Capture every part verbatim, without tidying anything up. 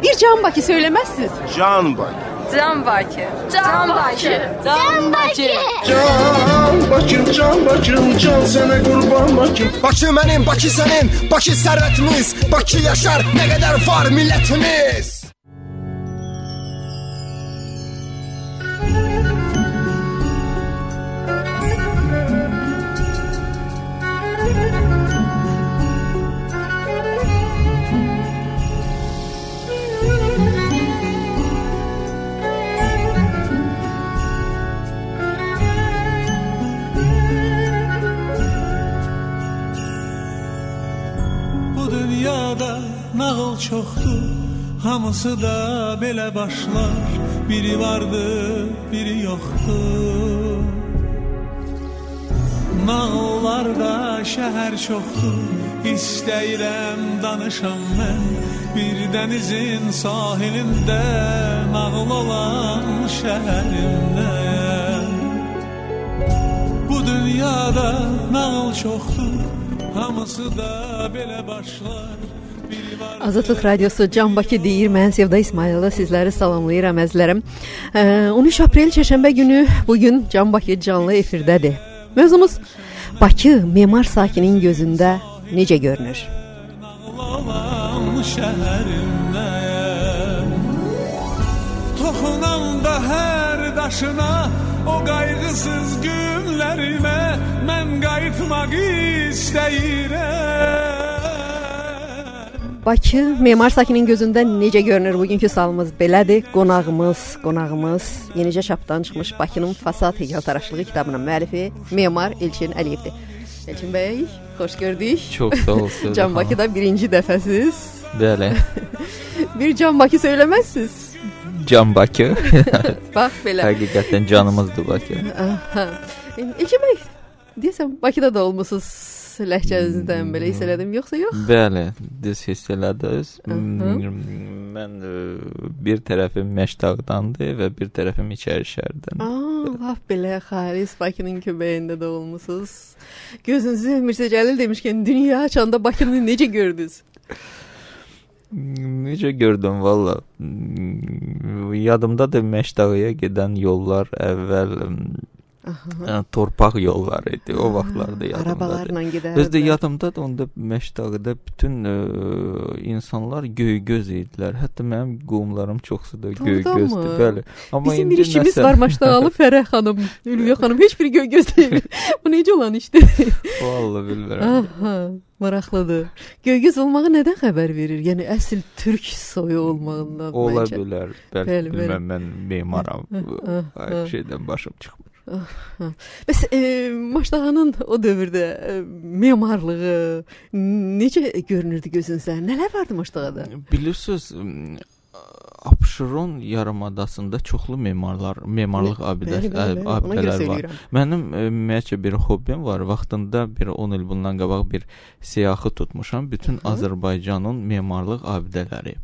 Bir Can Bakı söylemezsiniz. Can Bakı. Can Bakı. Can Bakı. Can Bakı. Can Bakım, Can Bakım, can sana kurban Bakım. Bakı mənim, Bakı sənin, Bakı sərvətimiz, Bakı yaşar, nə qədər var millətimiz. Nağıl çoxdur, hamısı da belə başlar. Biri vardı, biri yoxdur. Nağıllarda şəhər çoxdur, istəyirəm danışam mən. Bir dənizin sahilində, nağıl olan şəhərimdə. Bu dünyada nağıl çoxdur, hamısı da belə başlar. Azadlıq Radiosu Can Bakı deyir. Mən Sevda İsmayılova sizləri salamlayıram əzizlərim. on üç aprel çərşənbə günü bugün Can Bakı canlı efirdədir. Mövzumuz Bakı memar sakinin gözündə necə görünür? Toxunanda hər daşına, o qayğısız günlərimə mən qayıtmaq istəyirəm. Bakı memar sakinin gözündə necə görünür? Bugünkü sualımız belədir. Qonağımız, qonağımız yenicə çapdan çıxmış Bakının Fasad heykəltaraşlığı kitabının müəllifi memar Elçin Əliyevdir. Elçin bəy, xoş gördük. Çox sağ olsunuz. Can Bakıda birinci dəfəsiz. Bəli. Bir Can Bakı söyləməzsiniz. Can Bakı. Bax belə. Həqiqətən canımızdır Bakı. Elçin bəy, deyəsən Bakıda da olmusunuz. Ləhcənizdən belə hiss elədim, yoxsa yox? Bəli, düz hiss elədiniz. Mən bir tərəfim Məşdağdandır və bir tərəfim İçərişəhərdən. Aa, laf belə xalis Bakının köbəyində də olmusunuz. Gözünüzü Mirzə Cəlil demişkən dünya açanda Bakını necə gördünüz? Necə gördüm valla. Yadımdadır Məşdağıya gedən yollar əvvəl Yəni, torpaq yolları idi. O vaxtlarda yadımdadır. Arabalarla gedərdi. Özdə yadımdadır, onda Məşdağıda bütün ə, insanlar göygöz idilər. Hətta mənim qohumlarım çoxsu da göygözdür. Bəli. Amma bizim bir işimiz nəsə... var Maşdağalı Fərəh xanım, Ülviyə xanım. Heç biri göygöz deyil. Bu necə olan işdir? Vallahi bilmirəm. Aha, maraqlıdır. Göygöz olmağı nədən xəbər verir? Yəni əsl türk soyu olmağından. Ola bilər. Bəli, bilməm, mən memaram. Hər şeydən başım çıxmır. Bəs e, Maşdağanın o dövrdə e, memarlığı necə görünürdü gözünüzdə? Nələr vardı Maşdağada? Bilirsiniz, Abşeron yarımadasında çoxlu memarlar, memarlıq abidələr var. Mənim ümumiyyətcə bir hobbim var. Vaxtında bir on il bundan qabaq bir siyahı tutmuşam. Bütün Azərbaycanın memarlıq abidələri.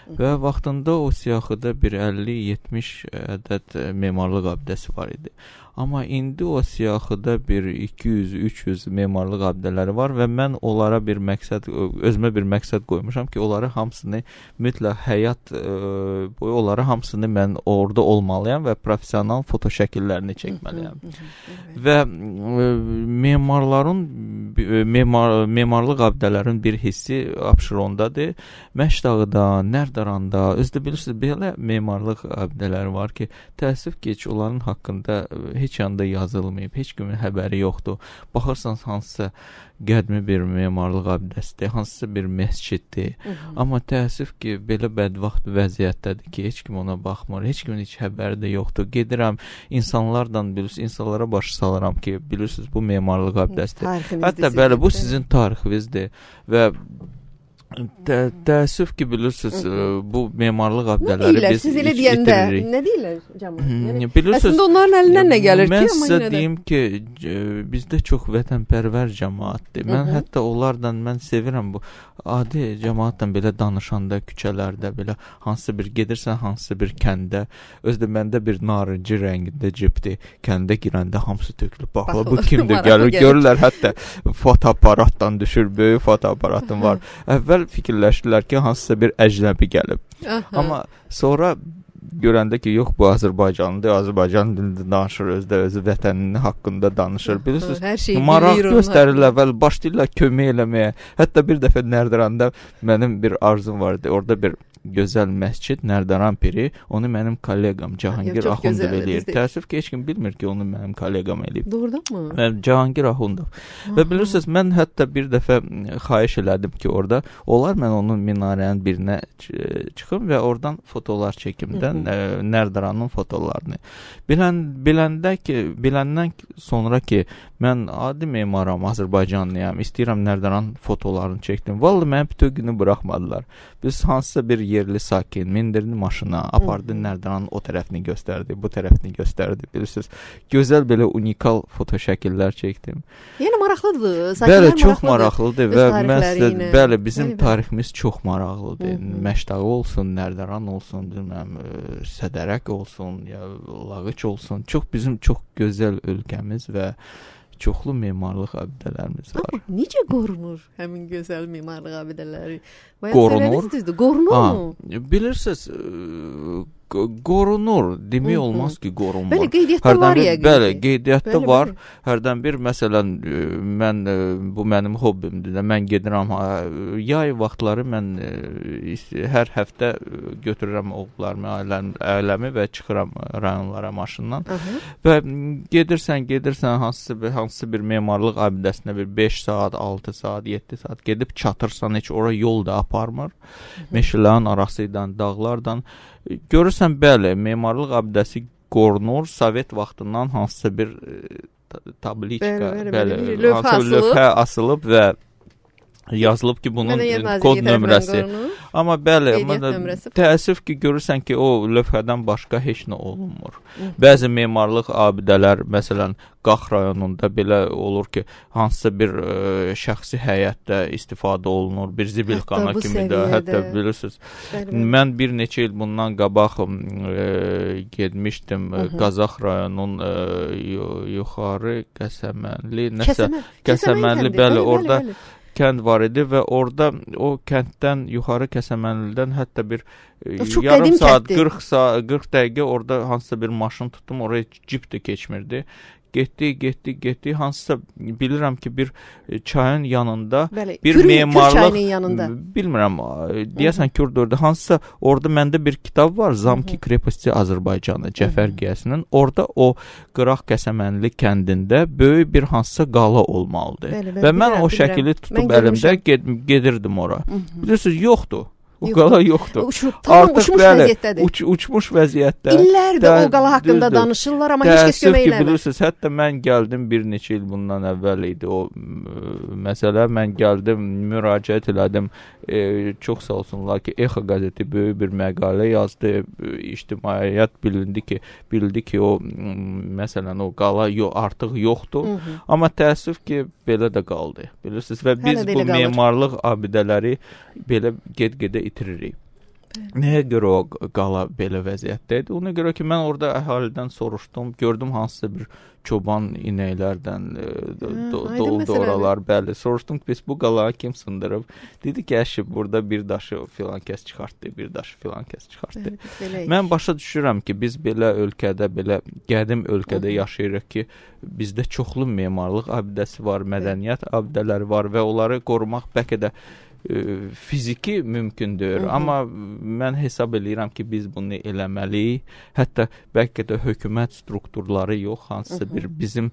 Və vaxtında o siyahıda bir əlli yetmiş ədəd memarlıq abidəsi var idi. Amma indi o siyahıda bir iki yüz üç yüz memarlıq abidələri var və mən onlara bir məqsəd, özümə bir məqsəd qoymuşam ki, onları hamısını mütləq həyat boyu onları hamısını mən orada olmalıyam və professional foto şəkillərini çəkməliyəm. Və memarların memar, memarlıq abidələrin bir hissi Abşerondadır. Məşdağıda, Nərdaranda, özdə bilirsiniz, belə memarlıq abidələri var ki, təəssüf ki, heç onların haqqında heç yanda yazılmayıb, heç kimin həbəri yoxdur. Baxırsanız hansısa qədimi bir memarlıq abidəsidir, hansısa bir məsciddir. Amma təəssüf ki, belə bədvaxt vəziyyətdədir ki, heç kim ona baxmır, heç kimin heç həbəri də yoxdur. Gedirəm, insanlardan bilirsiniz, insanlara baş salıram ki, bilirsiniz, bu memarlıq abidəsidir. Hətta bəli, bu sizin tarixinizdir və Tə, təəssüf ki, bilirsiniz, bu memarlıq abidələri biz siz elə deyəndə, nə deyirlər cəmaət? Yəni, əslində onların əlindən nə gəlir ki? Mən sizə deyim ki, bizdə çox vətənpərvər cəmaatdir. Mən Hı-hı. hətta onlardan, mən sevirəm bu adi cəmaatdan belə danışanda, küçələrdə belə, hansısa bir gedirsən, hansısa bir kəndə, özdə məndə bir narıncı rəngində cipdir, kəndə girəndə hamısı tökülüb, baxla, bu kimdir, gəlir, görürlər, hətta fotoaparatdan düşür, böyük fotoaparatım var. Əvvəl əvvəl fikirləşdilər ki, hansısa bir əcnəbi gəlib. Aha. Amma sonra görəndə ki, yox, bu Azərbaycanlıdır, Azərbaycan dilində danışır, özdə özü vətəninin haqqında danışır. Bilirsiniz, maraq göstərir əvvəl, başlayırlar kömək eləməyə. Hətta bir dəfə Nərdiranda mənim bir arzum vardı. Orada bir gözəl məscid, Nərdiran Piri, onu mənim kolleqam Cahangir Axundov eləyir. Təəssüf ki, heç kim bilmir ki, onu mənim kolleqam eləyib. Doğrudanmı? Mən Cahangir Axundov. Və bilirsiniz, mən hətta bir dəfə xahiş elədim ki, orada olar mən onun minarənin birinə çıxım və oradan fotolar çəkimdən Nərdiranın fotolarını. Bilən, biləndə ki, biləndən sonra ki, mən adi memaram, Azərbaycanlıyam, istəyirəm Nərdiran fotolarını çəkdim. Vallahi mənə bütün günü buraxmadılar. Biz hansısa bir yerli sakin mindirdi maşına, apardı Nərdiranın o tərəfini göstərdi, bu tərəfini göstərdi. Bilirsiniz, gözəl belə unikal foto şəkillər çəkdim. Yəni maraqlıdır. Bəli, çox maraqlıdır və məsələn, bəli, bizim bəli, tariximiz çox maraqlıdır. Məşdağı olsun, Nərdiran olsun, bilməm, Sədərək olsun, ya Lağıç olsun. Çox bizim çox gözəl ölkəmiz və çoxlu memarlıq abidələrimiz var. Amma necə qorunur həmin gözəl memarlıq abidələri? Qorunur. Qorunur mu? Bilirsiniz, qorunur. Demək olmaz ki, qorunmur. Bəli, qeydiyyatda var ya. Bəli, qeydiyyatda var. Hərdən bir, məsələn, mən, bu mənim hobbimdir. Mən gedirəm, yay vaxtları mən hər həftə götürürəm oğullarımı, ailəmi və çıxıram rayonlara maşından. Və gedirsən, gedirsən, hansısa bir memarlıq abidəsinə bir beş saat, altı saat, yeddi saat gedib çatırsan, heç ora yol da aparmır. Meşələrin arasıyla, dağlardan. Görürsən, bəli, memarlıq abidəsi qorunur. Sovet vaxtından hansısa bir tabliçka, bəli, hansısa lövhə asılıb və yazılıb ki, bunun kod nömrəsi. Amma bəli, təəssüf ki, görürsən ki, o lövhədən başqa heç nə olunmur. Bəzi memarlıq abidələr, məsələn, Qax rayonunda belə olur ki, hansısa bir ə, şəxsi həyətdə istifadə olunur, bir zibilxana kimi də, hətta bilirsiniz. Bəli, mən bir neçə il bundan qabaq ə, getmişdim ə, Qazax rayonunun ə, yuxarı Qəsəmənli, nəsə Kəsəmən, Kəsəmənli, bəli, orada bəli, bəli. Kənd var idi və orada o kənddən yuxarı Kəsəmənlidən hətta bir yarım saat, qırx saat, qırx dəqiqə orada hansısa bir maşın tutdum, oraya cip də keçmirdi. Getdi, getdi, getdi. Hansısa bilirəm ki, bir çayın yanında bəli, bir kür, memarlıq kür yanında. Bilmirəm, deyəsən Kürdürdür. Hansısa orada məndə bir kitab var, Zamki Kreposti Azərbaycanı, Cəfər Qiyəsinin. Orada o Qıraq Kəsəmənli kəndində böyük bir hansısa qala olmalıdır. Bəli, bəli, və mən bilirəm, o şəkili bilirəm. Tutub mən əlimdə ged gedirdim ora. Bilirsiniz, yoxdur. O qala yoxdur. Uçur, tamam, artıq uçmuş bəli, vəziyyətdədir. Uç, uçmuş vəziyyətdə. İllərdir o qala haqqında düzdür. Danışırlar, amma heç kəs kömək eləmir. Bilirsiniz, hətta mən gəldim bir neçə il bundan əvvəl idi o məsələ. Mən gəldim, müraciət elədim. E, çox sağ olsunlar ki, Exa qəzeti böyük bir məqalə yazdı. İctimaiyyət bilindi ki, bildi ki, o məsələn o qala yo, artıq yoxdur. Hı -hı. Amma təəssüf ki, belə də qaldı. Bilirsiniz, və biz bu qalır. Memarlıq abidələri belə get-gedə itiririk. Nəyə görə o qala belə vəziyyətdə idi? Ona görə ki, mən orada əhalidən soruşdum, gördüm hansısa bir çoban inəklərdən doldu oralar, bəli. Soruşdum ki, biz bu qalağı kim sındırıb? Dedi ki, əşib, burada bir daşı filan kəs çıxartdı, bir daşı filan kəs çıxartdı. Evet, mən başa düşürəm ki, biz belə ölkədə, belə qədim ölkədə yaşayırıq ki, bizdə çoxlu memarlıq abidəsi var, mədəniyyət abidələri var və onları qorumaq bəlkə də fiziki mümkündür, hı -hı. Amma mən hesab edirəm ki, biz bunu eləməliyik. Hətta bəlkə də hökumət strukturları yox, hansısa hı -hı. bir bizim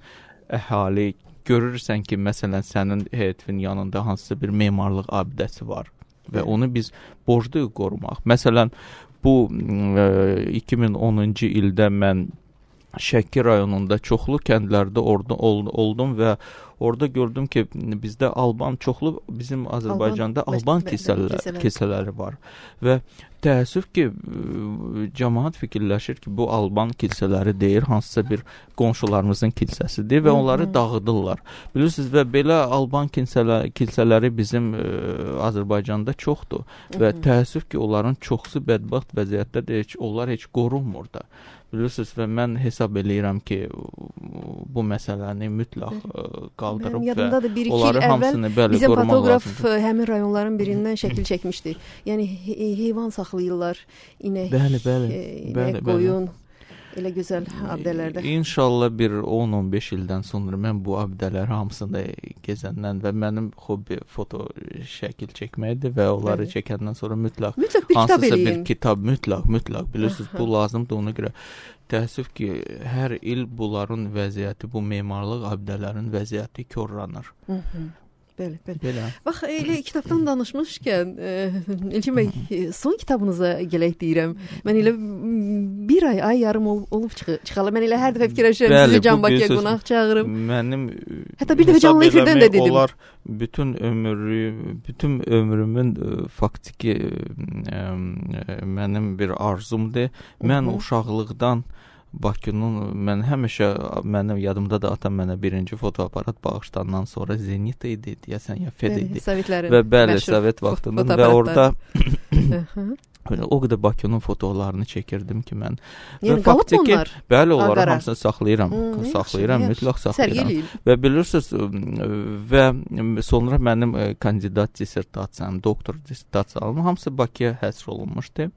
əhali görürsən ki, məsələn, sənin həyətin yanında hansısa bir memarlıq abidəsi var və onu biz borcluyuq qorumaq. Məsələn, bu e, iki min onuncu ildə mən Şəki rayonunda çoxlu kəndlərdə orada ol, oldum və orada gördüm ki, bizdə Alban çoxlu, bizim Azərbaycanda Alban, Alban kilsələr, kilsələri var və təəssüf ki, cəmaət fikirləşir ki, bu Alban kilsələri deyir, hansısa bir qonşularımızın kilsəsidir və onları dağıdırlar. Bilirsiniz, və belə Alban kilsələri, kilsələri bizim e, Azərbaycanda çoxdur və təəssüf ki, onların çoxsu bədbəxt vəziyyətdə də heç, onlar heç qorunmur da. Bilirsiniz və mən hesab eləyirəm ki, bu məsələni mütləq qaldırıb və bir, onları hamısını bəli bizim qorumaq fotoqraf lazımdır. Həmin rayonların birindən şəkil çəkmişdi. Yəni heyvan saxlayırlar, inək, bəli, bəli, inək bəli, qoyun. Elə gözəl abidələrdə. İnşallah bir on on beş ildən sonra mən bu abidələr hamısını gezəndən və mənim hobbi foto şəkil çəkməkdir və onları evet. çəkəndən sonra mütləq, mütləq bir kitab eləyin. bir kitab mütləq, mütləq bilirsiniz, bu lazımdır ona görə. Təəssüf ki, hər il bunların vəziyyəti, bu memarlıq abidələrin vəziyyəti korlanır. Hı -hı. Bəli, bəli. Belə. Bax, elə kitabdan danışmışkən, Elçin bəy, son kitabınıza gələk deyirəm. Mən elə bir ay, ay yarım ol, olub çıxalı. Mən elə hər dəfə fikirləşirəm, sizi Can Bakıya qonaq çağırım. Mənim hətta bir dəfə canlı efirdən də dedim. Onlar bütün ömrü, bütün ömrümün faktiki mənim bir arzumdur. Mən uşaqlıqdan Bakının, mən həmişə, mənim yadımda da atam mənə birinci fotoaparat bağışlandan sonra Zenit idi, deyəsən, ya Fed idi. Sovetlərin və bəli, Sovet vaxtının və orada o qədər Bakının fotolarını çəkirdim ki, mən. Yəni, qalıb onlar? Bəli, onları hamısını saxlayıram, hmm, saxlayıram, mütləq saxlayıram. Və bilirsiniz, və sonra mənim kandidat dissertasiyam, doktor dissertasiyam, hamısı Bakıya həsr olunmuşdu.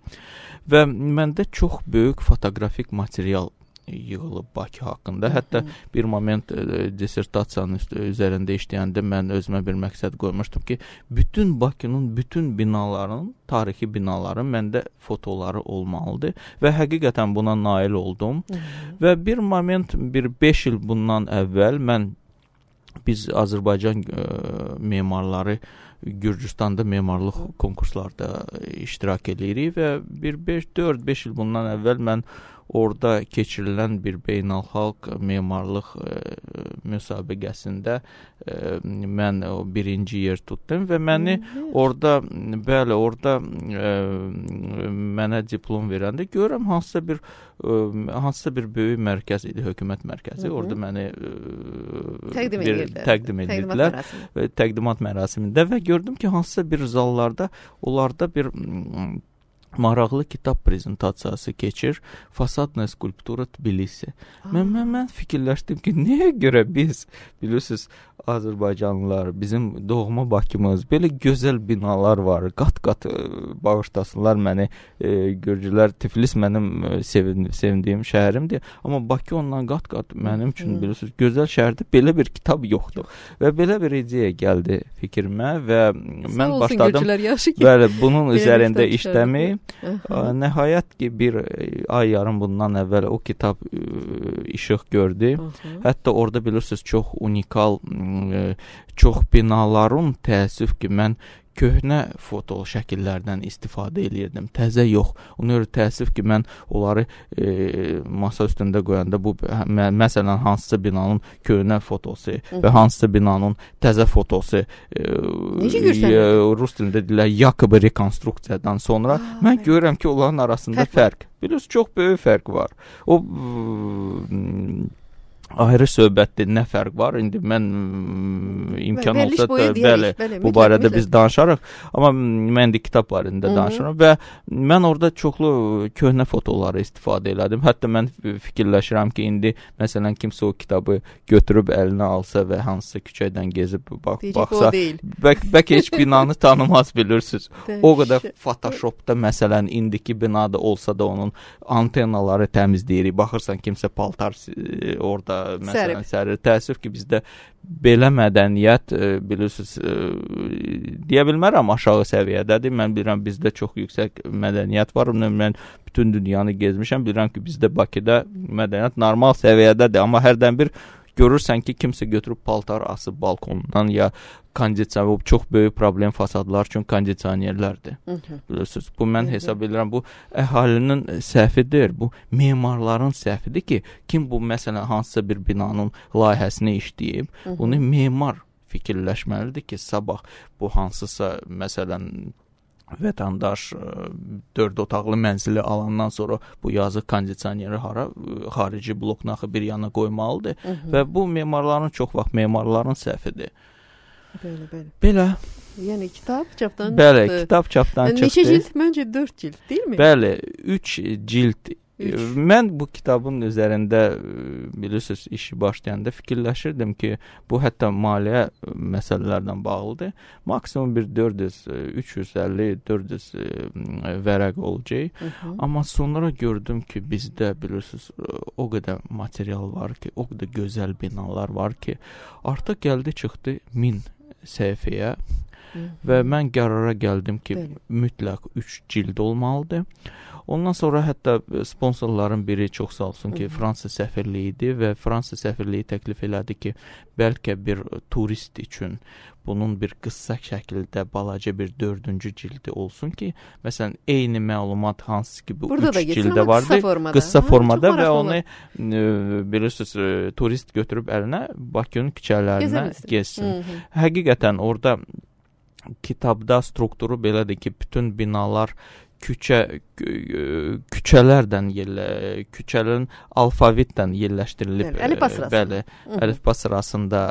Və məndə çox böyük fotoqrafik material yığılıb Bakı haqqında. Hətta bir moment dissertasiyanın üzərində işləyəndə mən özümə bir məqsəd qoymuşdum ki, bütün Bakının bütün binaların, tarixi binaların məndə fotoları olmalıdır və həqiqətən buna nail oldum. Hı -hı. Və bir moment, bir beş il bundan əvvəl mən, biz Azərbaycan e, memarları Gürcüstanda memarlıq konkurslarda iştirak edirik və bir dörd beş il bundan əvvəl mən orada keçirilən bir beynəlxalq memarlıq e, müsabiqəsində e, mən o birinci yer tutdum və məni orada, bəli, orada e, mənə diplom verəndə görürəm hansısa bir e, hansısa bir böyük mərkəz idi, hökumət mərkəzi. Hı -hı. Orada məni e, təqdim bir, təqdim edildilər və təqdimat mərasimində və gördüm ki, hansısa bir zallarda, onlarda bir maraqlı kitab prezentasiyası keçir. Fasadna skulptura Tbilisi. Mən, mən, mən fikirləşdim ki, nəyə görə biz, bilirsiniz, Azərbaycanlılar, bizim doğma Bakımız, belə gözəl binalar var, qat-qat bağışlasınlar məni, e, Gürcülər, Tiflis mənim sevin, sevindiyim şəhərimdir, amma Bakı ondan qat-qat mənim üçün, bilirsiniz, gözəl şəhərdə belə bir kitab yoxdur. Və belə bir ideya gəldi fikrimə və mən olsun, başladım, bəli, bunun üzərində işləməyi. Nəhayət ki, bir ay yarım bundan əvvəl o kitab e, işıq gördü. Hı -hı. Hətta orada bilirsiniz, çox unikal, e, çox binaların, təəssüf ki, mən köhnə foto şəkillərdən istifadə edirdim. Təzə yox. Ona görə təəssüf ki, mən onları e, masa üstündə qoyanda bu, mə, məsələn, hansısa binanın köhnə fotosu Hı -hı. və hansısa binanın təzə fotosu e, e, rus dilində deyirlər, yakıbı rekonstruksiyadan sonra Aa, mən görürəm ki, onların arasında fərq, fərq. Bilirsiniz, çox böyük fərq var. O ayrı söhbətdir, nə fərq var? İndi mən imkan Bəli, olsa da, bəli, bəli, bu barədə biz danışarıq. Amma mən indi kitab barədə danışıram və mən orada çoxlu köhnə fotoları istifadə elədim. Hətta mən fikirləşirəm ki, indi məsələn kimsə o kitabı götürüb əlinə alsa və hansısa küçədən gezib bax, baxsa, bəlkə bəlkə heç binanı tanımaz, bilirsiniz. O qədər Photoshopda məsələn indiki binada olsa da onun antenaları təmizləyirik. Baxırsan kimsə paltar orada məsələn sərir. Təəssüf ki, bizdə belə mədəniyyət, e, bilirsiniz, e, deyə bilmərəm aşağı səviyyədədir. Mən bilirəm, bizdə çox yüksək mədəniyyət var. Mən bütün dünyanı gezmişəm. Bilirəm ki, bizdə Bakıda mədəniyyət normal səviyyədədir. Amma hərdən bir görürsən ki, kimsə götürüb paltar asıb balkondan ya kondisioner, çox böyük problem fasadlar üçün kondisionerlərdir. Bilirsiniz, bu mən hesab edirəm, bu əhalinin səhvidir, bu memarların səhvidir ki, kim bu məsələn hansısa bir binanın layihəsini işləyib, bunu memar fikirləşməlidir ki, sabah bu hansısa məsələn vətəndaş dörd otaqlı mənzili alandan sonra bu yazıq kondisioneri hara, xarici bloknaxı bir yana qoymalıdır Hı -hı. və bu memarların çox vaxt memarların səhvidir. Belə, belə. Belə. Yəni kitab çapdan Bəli, çıxdı. kitab çapdan çıxdı. Neçə cild? Məncə dörd cild, deyilmi? Bəli, üç cild Mən bu kitabın üzərində bilirsiniz işi başlayanda fikirləşirdim ki, bu hətta maliyyə məsələlərdən bağlıdır. Maksimum bir dörd yüz, üç yüz əlli, dörd yüz vərəq olacaq. Hı -hı. Amma sonra gördüm ki, bizdə bilirsiniz o qədər material var ki, o qədər gözəl binalar var ki, artıq gəldi çıxdı min səhifəyə. Hı -hı. Və mən qərara gəldim ki, Bəli. mütləq üç cild olmalıdır. Ondan sonra hətta sponsorların biri çox sağ olsun ki, Hı -hı. Fransa səfirliyi idi və Fransa səfirliyi təklif elədi ki, bəlkə bir turist üçün bunun bir qısa şəkildə balaca bir dördüncü cildi olsun ki, məsələn, eyni məlumat hansı ki bu Burada üç cildə vardı, qısa formada, qısa formada və onu e, bilirsiniz, e, turist götürüb əlinə Bakının küçələrinə gezsin. Hı -hı. Həqiqətən orada kitabda strukturu belədir ki, bütün binalar küçə küçələrdən yerlə, küçələrin alfavitdən yerləşdirilib. Bəli, əlifba sırasında. Bəli, əlifba sırasında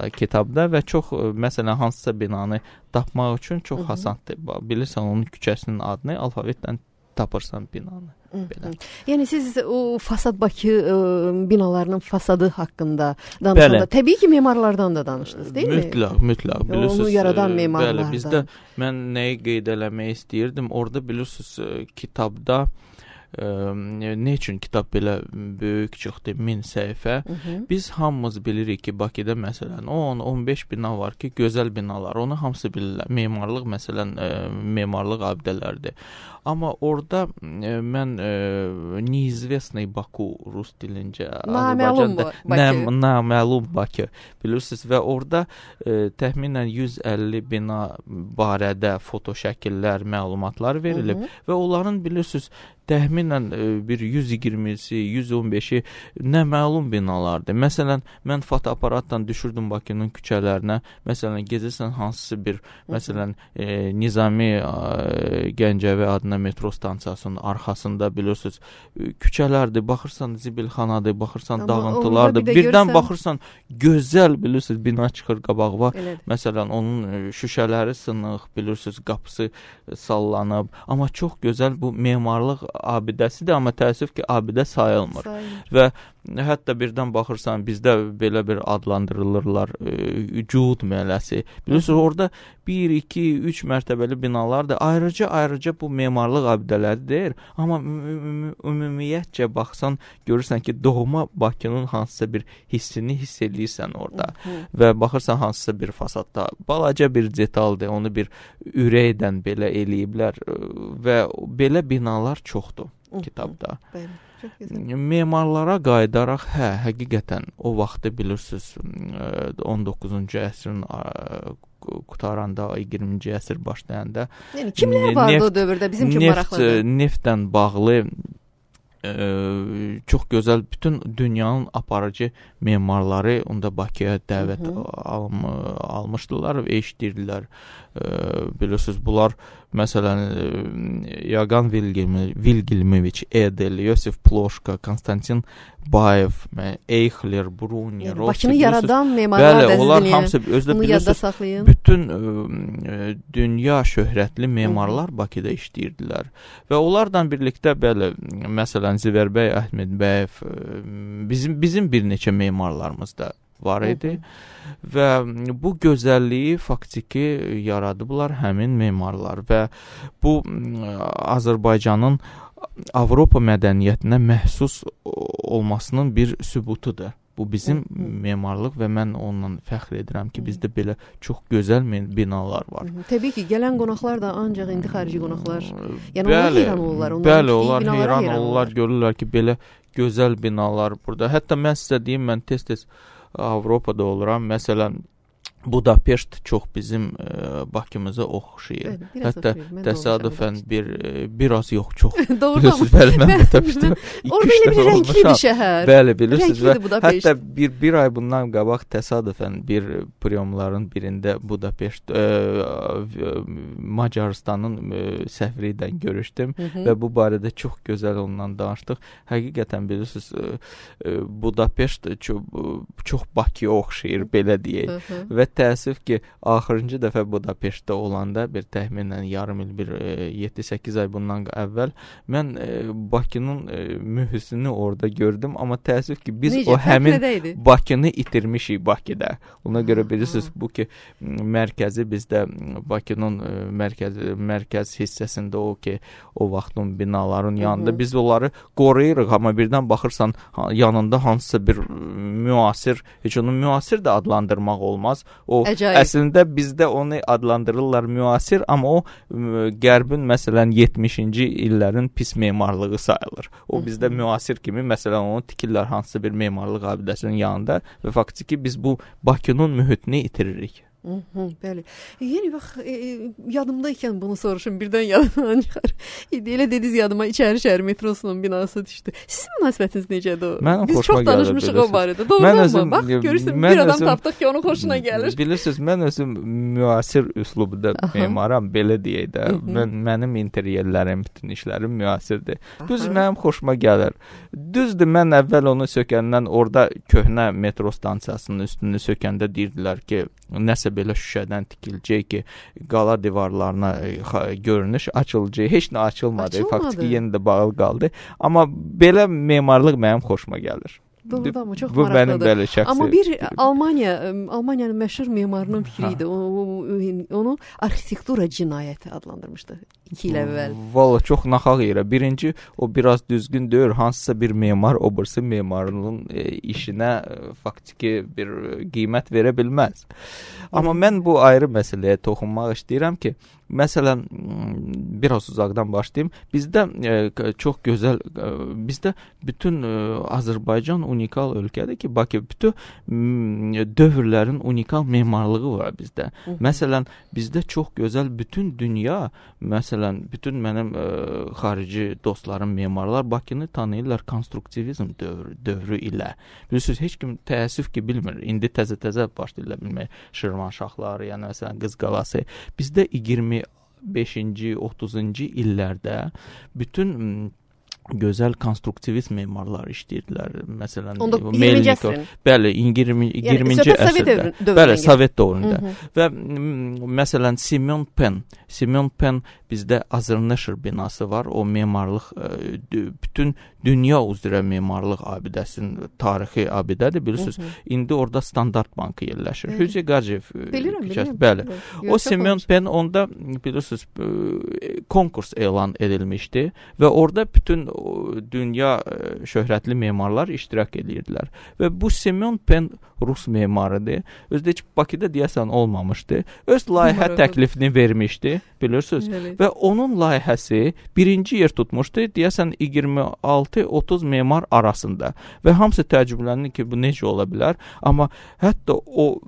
ə, kitabda və çox məsələn hansısa binanı tapmaq üçün çox asandır. Bilirsən onun küçəsinin adını alfavitdən tapırsan binanı. Belə. Yəni siz o Fasad Bakı ə, binalarının fasadı haqqında danışanda Bəli. təbii ki, memarlardan da danışdınız, deyil mütləq, mi? Mütləq, mütləq. Onu yaradan memarlardan. Bəli, bizdə mən nəyi qeyd eləmək istəyirdim? Orada bilirsiniz kitabda ə, nə üçün kitab belə böyük çıxdı, min səhifə? Hı -hı. Biz hamımız bilirik ki, Bakıda məsələn on on beş bina var ki, gözəl binalar. Onu hamısı bilirlər. Memarlıq məsələn ə, memarlıq abidələrdir. Amma orada e, mən e, neizvestный Baku rus dilincə naməlum Bakı. Naməlum Bakı bilirsiniz və orada e, təxminən yüz əlli bina barədə foto şəkillər, məlumatlar verilib. Hı -hı. Və onların bilirsiniz təxminən e, bir yüz iyirmisi, yüz on beşi naməlum binalardır. Məsələn, mən fotoaparatdan düşürdüm Bakının küçələrinə. Məsələn, gezirsən hansısa bir, məsələn, e, Nizami e, Gəncəvi adına metro stansiyasının arxasında bilirsiniz küçələrdir, baxırsan zibilxanadır, baxırsan Amma dağıntılardır. Bir Birdən görsən... baxırsan gözəl bilirsiniz bina çıxır qabağına. Məsələn, onun şüşələri sınıq, bilirsiniz qapısı sallanıb. Amma çox gözəl bu memarlıq abidəsidir, amma təəssüf ki, abidə sayılmır. Sayılır. Və hətta birdən baxırsan, bizdə belə bir adlandırılırlar, e, Cud məhəlləsi. Bilirsiniz, orada bir, iki, üç mərtəbəli binalardır. Ayrıca, ayrıca bu memarlıq abidələri deyir. Amma ümumiyyətcə baxsan, görürsən ki, doğma Bakının hansısa bir hissini hiss edirsən orada. Hı -hı. Və baxırsan hansısa bir fasadda balaca bir detaldır, onu bir ürəkdən belə eləyiblər və belə binalar çoxdur Hı -hı. kitabda. Bəli. Memarlara qayıdaraq, hə, həqiqətən o vaxtı bilirsiniz, on doqquzuncu əsrin qutaranda, iyirminci əsr başlayanda. Yəni kimlər vardı neft, o dövrdə bizim üçün maraqlıdır? Neftdən bağlı ə, çox gözəl bütün dünyanın aparıcı memarları onda Bakıya dəvət Hı -hı. alm almışdılar və eşidirdilər. Ə, bilirsiniz, bunlar məsələn Yagan Vilgelmoviç Edel, Yosif Ploşka, Konstantin Bayev, Eyxler, Bruni, yəni, Bakını yaradan memarlar Bəli, onlar hamısı özdə bilirsiniz, bütün ə, dünya şöhrətli memarlar Hı -hı. Bakıda işləyirdilər. Və onlardan birlikdə bəli, məsələn Zivərbəy Əhmədbəyev, bizim bizim bir neçə memarlarımız da var idi. Hı -hı. Və bu gözəlliyi faktiki yaradıblar həmin memarlar və bu Azərbaycanın Avropa mədəniyyətinə məxsus olmasının bir sübutudur. Bu bizim Hı -hı. memarlıq və mən onunla fəxr edirəm ki, bizdə belə çox gözəl binalar var. Hı -hı. Təbii ki, gələn qonaqlar da ancaq indi xarici qonaqlar. Yəni bəli, onlar heyran olurlar. Bəli, onlar heyran, heyran olurlar, görürlər ki, belə gözəl binalar burada. Hətta mən sizə deyim, mən tez-tez Avropada oluram. Məsələn, Budapeşt çox bizim e, Bakımıza oxşayır. Evet, hətta təsadüfən bir e, biraz yox, çox. Bilirsiniz, bəli, mən Budapeştdə orada elə bir rənglidir şəhər. Bəli, bilirsiniz və hətta bir, bir ay bundan qabaq təsadüfən bir priyomların birində Budapeşt e, e, Macarıstanın e, səfiri ilə görüşdüm Hı -hı. və bu barədə çox gözəl ondan danışdıq. Həqiqətən bilirsiniz, e, e, Budapeşt çox, çox Bakıya oxşayır, belə deyək. Hı -hı. Və təəssüf ki, axırıncı dəfə Budapeştdə olanda bir təxminən yarım il, bir yeddi səkkiz ay bundan əvvəl mən e, Bakının e, mühüsünü orada gördüm, amma təəssüf ki, biz Necə, o həmin Bakını itirmişik Bakıda. Ona görə bilirsiniz, bu ki, mərkəzi bizdə Bakının e, mərkəz, mərkəz hissəsində o ki, o vaxtın binaların yanında Hı -hı. biz onları qoruyuruq, amma birdən baxırsan yanında hansısa bir müasir, heç onu müasir də adlandırmaq olmaz. O Əcayib. Əslində bizdə onu adlandırırlar müasir, amma o Qərbin məsələn yetmişinci illərin pis memarlığı sayılır. O bizdə müasir kimi məsələn onu tikirlər hansısa bir memarlıq abidəsinin yanında və faktiki biz bu Bakının mühitini itiririk. Hı -hı, bəli. Yəni bax, e, yadımdaykən bunu soruşum, birdən yadımdan çıxar. Elə dediniz yadıma İçəri şəhər metrosunun binası düşdü. Sizin münasibətiniz necədir o? Mənim Biz çox danışmışıq o barədə. Doğrudanmı? Bax, görürsən, bir adam özüm, tapdıq ki, onun xoşuna gəlir. Bilirsiniz, mən özüm müasir üslubda memaram, belə deyək də. Mən, mənim interyerlərim, bütün işlərim müasirdir. Düz mənim xoşuma gəlir. Düzdür, mən əvvəl onu sökəndən orada köhnə metro stansiyasının üstünü sökəndə deyirdilər ki, nəsə belə şüşədən tikiləcək ki, qala divarlarına görünüş açılacaq. Heç nə açılmadı. açılmadı. Faktiki yenə də bağlı qaldı. Amma belə memarlıq mənim xoşuma gəlir. Doğrudan mı? Çox bu maraqlıdır. Mənim belə şəxsi. Amma bir Almaniya, Almaniyanın məşhur memarının fikri idi. Onu arxitektura cinayəti adlandırmışdı iki il əvvəl. Valla çox naxaq yerə. Birinci, o biraz düzgün deyir. Hansısa bir memar, o birisi memarının e, işinə e, faktiki bir qiymət verə bilməz. Amma mən bu ayrı məsələyə toxunmaq istəyirəm ki, məsələn, biraz uzaqdan başlayayım. Bizdə e, çox gözəl, e, bizdə bütün e, Azərbaycan unikal ölkədir ki, Bakı bütün m, dövrlərin unikal memarlığı var bizdə. Hı -hı. Məsələn, bizdə çox gözəl bütün dünya, məsələn, bütün mənim e, xarici dostlarım, memarlar Bakını tanıyırlar konstruktivizm dövrü, dövrü ilə. Bilirsiniz, heç kim təəssüf ki, bilmir. İndi təzə-təzə başlayırlar bilmək. Şirvanşahları, yəni məsələn, Qız Qalası. Bizdə iyirmi beşinci, otuzuncu illərdə bütün gözəl konstruktivist memarlar işləyirdilər. Məsələn, Melnikov. Bəli, iyirminci əsrdə. Bəli, Sovet dövründə. Və məsələn, Semyon Pen. Semyon Pen bizdə Azərneşir binası var. O memarlıq, bütün dünya üzrə memarlıq abidəsinin tarixi abidədir. Bilirsiniz, indi orada Standart Bankı yerləşir. Hüceyi Qaciyev. Bilirəm, bilirəm. Bəli. O Semyon Pen onda, bilirsiniz, konkurs elan edilmişdi və orada bütün dünya şöhrətli memarlar iştirak edirdilər. Və bu Semyon Pen Rus memarıdır. Özdə heç Bakıda deyəsən olmamışdı. Öz layihə təklifini vermişdi, bilirsiniz. Evet. Və onun layihəsi birinci yer tutmuşdu, deyəsən iyirmi altı otuz memar arasında. Və hamısı təəccüblənir ki, bu necə ola bilər? Amma hətta o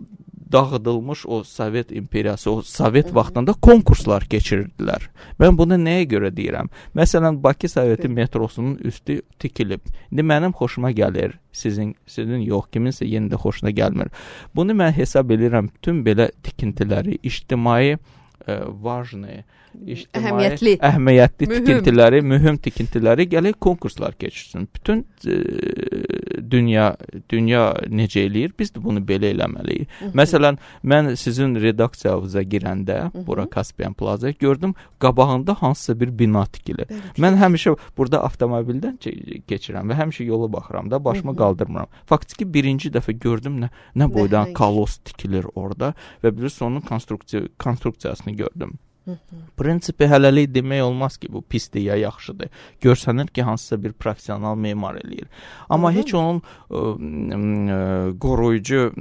dağıdılmış o Sovet imperiyası, o Sovet vaxtında konkurslar keçirirdilər. Mən bunu nəyə görə deyirəm? Məsələn, Bakı Soveti metrosunun üstü tikilib. İndi mənim xoşuma gəlir, sizin sizin yox, kiminsə yenə də xoşuna gəlmir. Bunu mən hesab edirəm, bütün belə tikintiləri, ictimai e, vajni, İctimai, əhəmiyyətli, əhəmiyyətli mühüm. tikintiləri, mühüm tikintiləri gələk konkurslar keçirsin. Bütün e, dünya dünya necə eləyir? Biz də bunu belə eləməliyik. Hı -hı. Məsələn, mən sizin redaksiyanıza girəndə, Hı -hı. bura Kaspian Plaza gördüm, qabağında hansısa bir bina tikilir. Bəli, mən həmişə burada avtomobildən keçirəm və həmişə yola baxıram da, başımı Hı -hı. qaldırmıram. Faktiki birinci dəfə gördüm nə nə boydan kalos tikilir orada və bilirsiniz onun konstruksiya konstruksiyasını gördüm. Prinsipi hələlik demək olmaz ki, bu pisdir ya yaxşıdır. Görsənir ki, hansısa bir professional memar eləyir. Amma Hı -hı. heç onun ə, ə, qoruyucu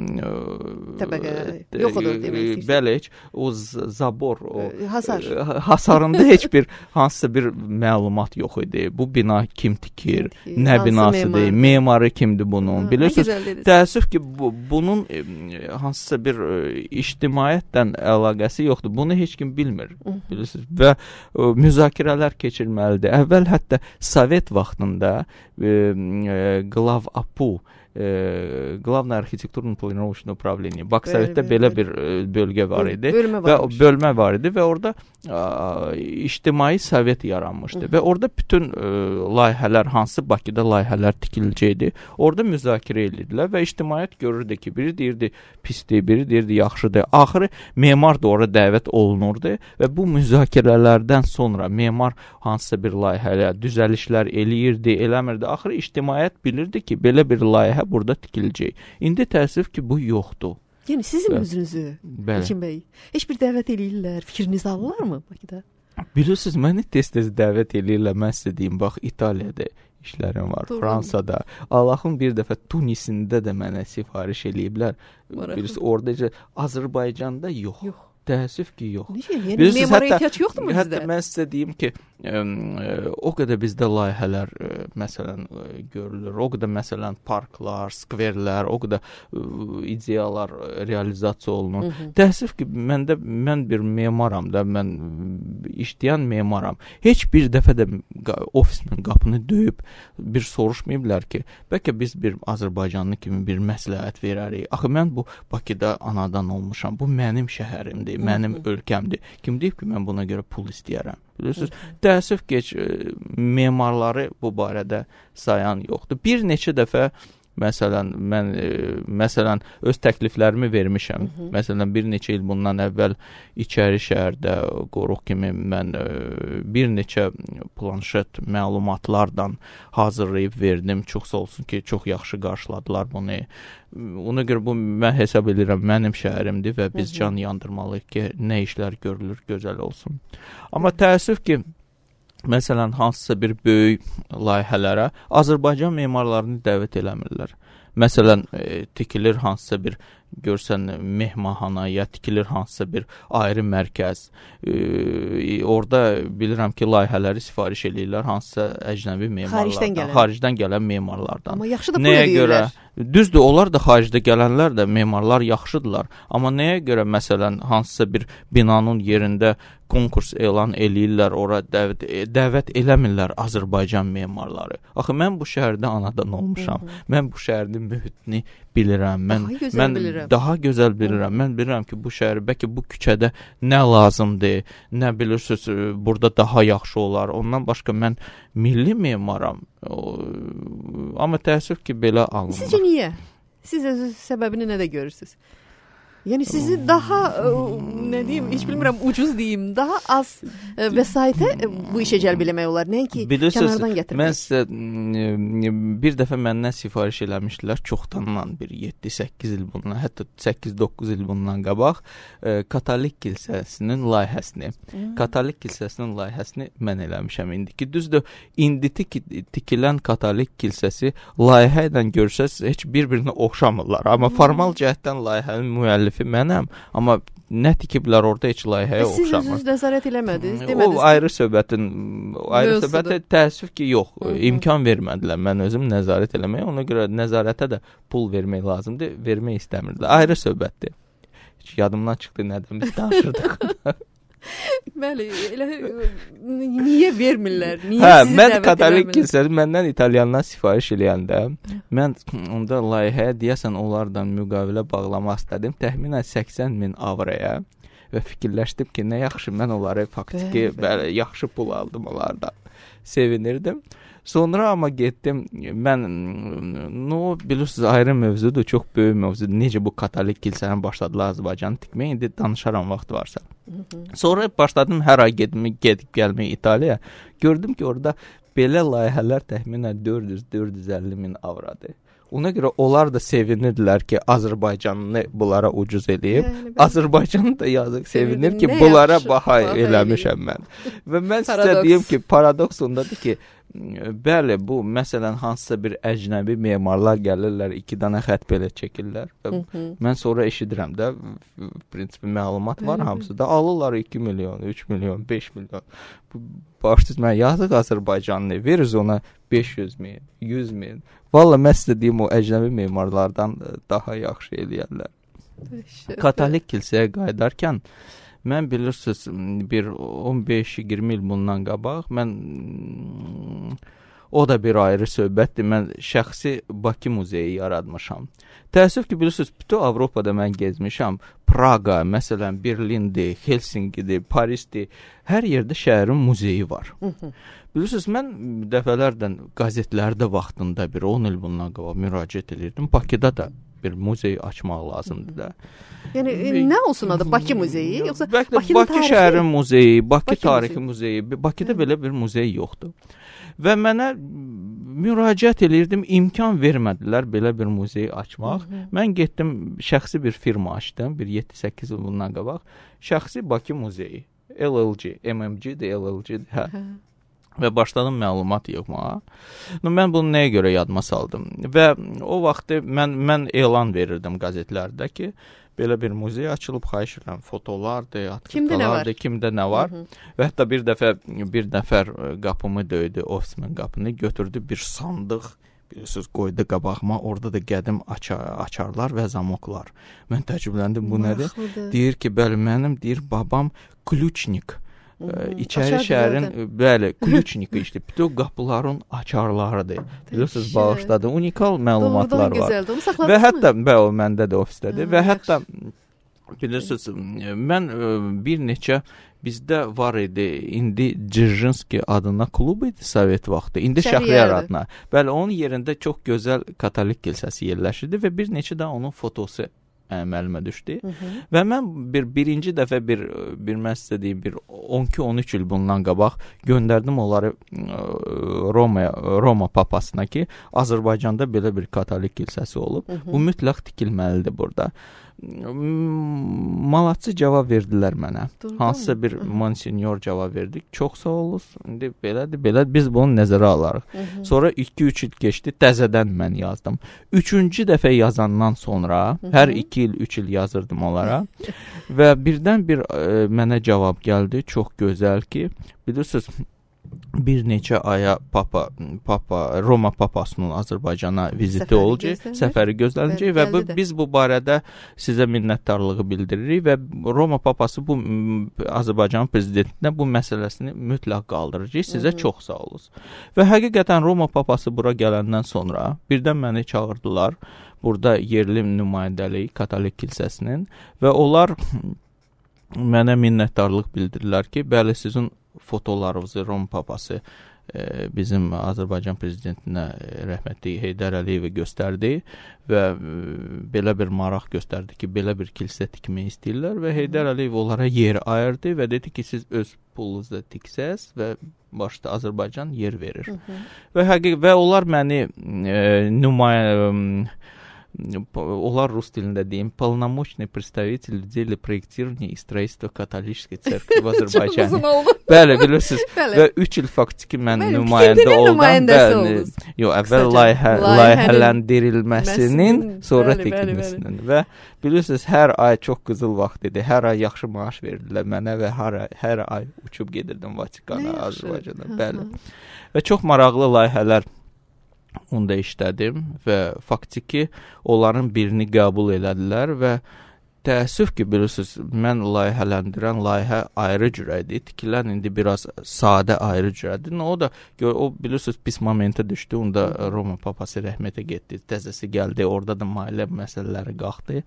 təbəqə yox olur demək istəyirsən. Bəli, heç o zabor, o hasar. Ə, hasarında heç bir hansısa bir məlumat yox idi. Bu bina kim tikir, kim nə binasıdır, memarı kimdir bunun. Bilirsiniz, təəssüf ki, bu, bunun ə, hansısa bir ə, ictimaiyyətdən əlaqəsi yoxdur. Bunu heç kim bilmir. Bilirsiniz, və ə, müzakirələr keçirməlidir. Əvvəl hətta Sovet vaxtında ə, ə, Glav Apu e, Главное архитектурно-планировочное управление. Baksovetdə belə bir e, bölgə var idi bölmə və bölmə var idi və orada a, ictimai sovet yaranmışdı. Hı. Və orada bütün e, layihələr, hansı Bakıda layihələr tikiləcəkdi, orada müzakirə edirdilər və ictimaiyyət görürdü ki, biri deyirdi pisdir, biri deyirdi yaxşıdır. Axırı memar da orada dəvət olunurdu və bu müzakirələrdən sonra memar hansısa bir layihəyə düzəlişlər eləyirdi, eləmirdi. Axırı ictimaiyyət bilirdi ki, belə bir layihə burada tikiləcək. İndi təəssüf ki, bu yoxdur. Yəni sizin özünüzü, Elçin bəy, heç bir dəvət eləyirlər, fikrinizi alırlar mı Bakıda? Bilirsiniz, məni tez-tez dəvət eləyirlər. Mən sizə deyim, bax, İtaliyada işlərim var, doğru. Fransada. Allahın bir dəfə Tunisində də mənə sifariş eləyiblər. Birisi orada, Azərbaycanda yox. Yox. Təəssüf ki, yox. Necə? Yəni memara ehtiyac yoxdur mu bizdə? Hətta mən sizə deyim ki, ə, o qədər bizdə layihələr ə, məsələn ə, görülür. O qədər məsələn parklar, skverlər, o qədər ə, ideyalar ə, realizasiya olunur. Hı -hı. Təəssüf ki, məndə mən bir memaram da, mən işləyən memaram. Heç bir dəfə də ofisimin qapını döyüb bir soruşmayıblar ki, bəlkə biz bir Azərbaycanlı kimi bir məsləhət verərik. Axı mən bu Bakıda anadan olmuşam. Bu mənim şəhərimdir. Mənim Hı -hı. ölkəmdir. Kim deyib ki, mən buna görə pul istəyərəm? Bilirsiniz, təəssüf ki, memarları bu barədə sayan yoxdur. Bir neçə dəfə məsələn mən e, məsələn öz təkliflərimi vermişəm. Hı -hı. Məsələn bir neçə il bundan əvvəl İçəri şəhərdə qoruq kimi mən e, bir neçə planşet məlumatlardan hazırlayıb verdim. Çox sağ olsun ki, çox yaxşı qarşıladılar bunu. Ona görə bu mən hesab edirəm mənim şəhərimdir və biz Hı -hı. can yandırmalıyıq ki, nə işlər görülür, gözəl olsun. Amma təəssüf ki, məsələn, hansısa bir böyük layihələrə Azərbaycan memarlarını dəvət eləmirlər. Məsələn, e, tikilir hansısa bir görsən mehmanxana ya tikilir hansısa bir ayrı mərkəz. E, orada bilirəm ki, layihələri sifariş eləyirlər hansısa əcnəbi memarlardan, xaricdən gələn, xaricdən gələn memarlardan. Amma yaxşı da pul edirlər. Düzdür, onlar da xaricdə gələnlər də memarlar yaxşıdırlar. Amma nəyə görə məsələn hansısa bir binanın yerində konkurs elan eləyirlər, ora dəvət, dəvət eləmirlər Azərbaycan memarları. Axı mən bu şəhərdə anadan olmuşam. Hı -hı. Mən bu şəhərin mühitini bilirəm. Mən daha gözəl mən bilirəm. Daha gözəl bilirəm. Hı -hı. Mən bilirəm ki, bu şəhər bəlkə bu küçədə nə lazımdır, nə bilirsiniz, burada daha yaxşı olar. Ondan başqa mən milli memaram. O, amma təəssüf ki, belə alınmır. Sizcə niyə? Siz öz səbəbini nədə görürsünüz? Yəni sizi daha nə deyim, heç bilmirəm, ucuz deyim, daha az vəsaitə bu işə cəlb eləmək olar, nəinki kənardan gətirmək. Mən sizə bir dəfə məndən sifariş eləmişdilər, çoxdandan bir yeddi səkkiz il bundan, hətta səkkiz doqquz il bundan qabaq Katolik kilsəsinin layihəsini, hmm. Katolik kilsəsinin layihəsini mən eləmişəm indiki. Düzdür, indi tikilən Katolik kilsəsi layihə ilə görsəz heç bir-birinə oxşamırlar, amma hmm. formal cəhətdən layihənin müəllifi mənəm, amma nə tikiblər orada heç layihəyə oxşamır. Siz özünüz nəzarət eləmədiniz, demədiniz? O ayrı söhbətin, ayrı söhbətə təəssüf ki, yox, Hı -hı. imkan vermədilər mən özüm nəzarət eləməyə, ona görə nəzarətə də pul vermək lazımdır, vermək istəmirdilər. Ayrı söhbətdir. Heç yadımdan çıxdı nədən biz danışırdıq. Bəli, elə niyə vermirlər? Niyə hə, mən Katolik kilsəsi məndən İtalyandan sifariş eləyəndə mən onda layihəyə deyəsən onlardan müqavilə bağlamaq istədim. Təxminən səksən min avroya və fikirləşdim ki, nə yaxşı mən onları faktiki bəli, yaxşı pul aldım onlardan. Sevinirdim. Sonra amma getdim, mən, no, bilirsiniz, ayrı mövzudur, çox böyük mövzudur. Necə bu Katolik kilsəni başladılar Azərbaycanı tikməyə, indi danışaram vaxt varsa. Hı -hı. Sonra başladım hər ay gedib, gedib gəlməyə İtaliyaya. Gördüm ki, orada belə layihələr təxminən dörd yüz dörd yüz əlli min avrodur. Ona görə onlar da sevinirdilər ki, Azərbaycanını bunlara ucuz eləyib. Yəni, Azərbaycanı da yazıq sevinir ki, bunlara yaxşı, baha eləmişəm mən. Və mən sizə deyim ki, paradoks ondadır ki, bəli, bu məsələn hansısa bir əcnəbi memarlar gəlirlər, iki dənə xət belə çəkirlər. Və Hı -hı. mən sonra eşidirəm də, prinsipi məlumat var hamısı da, alırlar iki milyon, üç milyon, beş milyon. Bu başsız mən yazıq Azərbaycanlı veririz ona beş yüz min, yüz min. Valla mən sizə deyim, o əcnəbi memarlardan daha yaxşı eləyərlər. Katolik kilsəyə qayıdarkən mən bilirsiniz bir on beş iyirmi il bundan qabaq mən O da bir ayrı söhbətdir. Mən şəxsi Bakı muzeyi yaratmışam. Təəssüf ki, bilirsiniz, bütün Avropada mən gezmişəm. Praga, məsələn, Berlindir, Helsinkidir, Parisdir. Hər yerdə şəhərin muzeyi var. Bilirsiniz, mən dəfələrdən qəzetlərdə vaxtında bir on il bundan qabaq müraciət edirdim. Bakıda da bir muzey açmaq lazımdır da. Yəni nə olsun adı? Bakı muzeyi yoxsa Bakı Bakı şəhərin muzeyi, Bakı, Bakı tarixi muzeyi. muzeyi. Bakıda Hı. belə bir muzey yoxdur. Və mənə müraciət edirdim, imkan vermədilər belə bir muzeyi açmaq. Hı -hı. Mən getdim, şəxsi bir firma açdım, bir yeddi səkkiz il bundan qabaq. Şəxsi Bakı muzeyi, L L G, M M G-dir, L L G-dir, hə. Hı. Və başladım məlumat yığmağa. No, mən bunu nəyə görə yadıma saldım? Və o vaxtı mən mən elan verirdim qəzetlərdə ki, belə bir muzey açılıb, xahiş edirəm, fotolardır, atqıqalardır, kimdə nə var. Hı -hı. Və hətta bir dəfə bir nəfər qapımı döydü, ofisimin qapını, götürdü bir sandıq, bilirsiniz, qoydu qabağıma, orada da qədim açar, açarlar və zamoklar. Mən təəccübləndim, bu nədir? Deyir ki, bəli, mənim, deyir, babam Kluçnik. İçəri şəhərin, bəli, Kluçnik işdir. Bütün qapıların açarlarıdır. Bilirsiniz, bağışladı. Unikal məlumatlar var. Və hətta, bəli, o məndə də ofisdədir. Və hətta, bilirsiniz, mən bir neçə, bizdə var idi, indi Dzержинski adına klub idi Sovet vaxtı. İndi Şəhriyar adına. Bəli, onun yerində çox gözəl katolik kilsəsi yerləşirdi və bir neçə də onun fotosu əməlimə düşdü. Hı -hı. Və mən bir birinci dəfə bir bir mən sizə deyim, bir on iki on üç il bundan qabaq göndərdim onları Roma Roma papasına ki, Azərbaycanda belə bir katolik kilsəsi olub. Hı -hı. Bu mütləq tikilməlidir burada. Malatçı cavab verdilər mənə. Doğru, hansısa bir monsinyor cavab verdik. Çox sağ olun. İndi belədir, belə biz bunu nəzərə alarıq. Hı -hı. Sonra iki üç il keçdi, təzədən mən yazdım. Üçüncü dəfə yazandan sonra, Hı -hı. hər iki il, üç il yazırdım onlara. Və birdən bir e, mənə cavab gəldi. Çox gözəl ki, bilirsiniz, bir neçə aya papa papa Roma papasının Azərbaycana viziti olacaq, səfəri gözlənəcək və bu, biz bu barədə sizə minnətdarlığı bildiririk və Roma papası bu Azərbaycan prezidentinə bu məsələsini mütləq qaldıracaq. Sizə Hı-hı. çox sağ olun. Və həqiqətən Roma papası bura gələndən sonra birdən məni çağırdılar. Burada yerli nümayəndəlik katolik kilsəsinin və onlar mənə minnətdarlıq bildirirlər ki, bəli, sizin fotolarınızı Rom papası e, bizim Azərbaycan prezidentinə rəhmətli Heydər Əliyevə göstərdi və e, belə bir maraq göstərdi ki, belə bir kilsə tikmək istəyirlər və Heydər Əliyev onlara yer ayırdı və dedi ki, siz öz pulunuzla tiksəz və başda Azərbaycan yer verir. Hı -hı. Və həqiqətən və onlar məni e, nümayə onlar rus dilində deyim, полномочный представитель в деле проектирования и строительства католической церкви в Azərbaycan. Bəli, bilirsiniz. Və üç il faktiki mən nümayəndə oldum. Bəli. Yox, əvvəl layihə layihələndirilməsinin, sonra tikilməsinin və bilirsiniz, hər ay çox qızıl vaxt idi. Hər ay yaxşı maaş verdilər mənə və hər ay, hər ay uçub gedirdim Vatikana, Azərbaycana. Bəli. Və çox maraqlı layihələr onda işlədim və faktiki onların birini qəbul elədilər və təəssüf ki, bilirsiniz, mən layihələndirən layihə ayrı cürədir, tikilən indi biraz sadə ayrı cürədir. O da, o bilirsiniz, pis momentə düşdü, onda Roma papası rəhmətə getdi, təzəsi gəldi, orada da mailə məsələləri qalxdı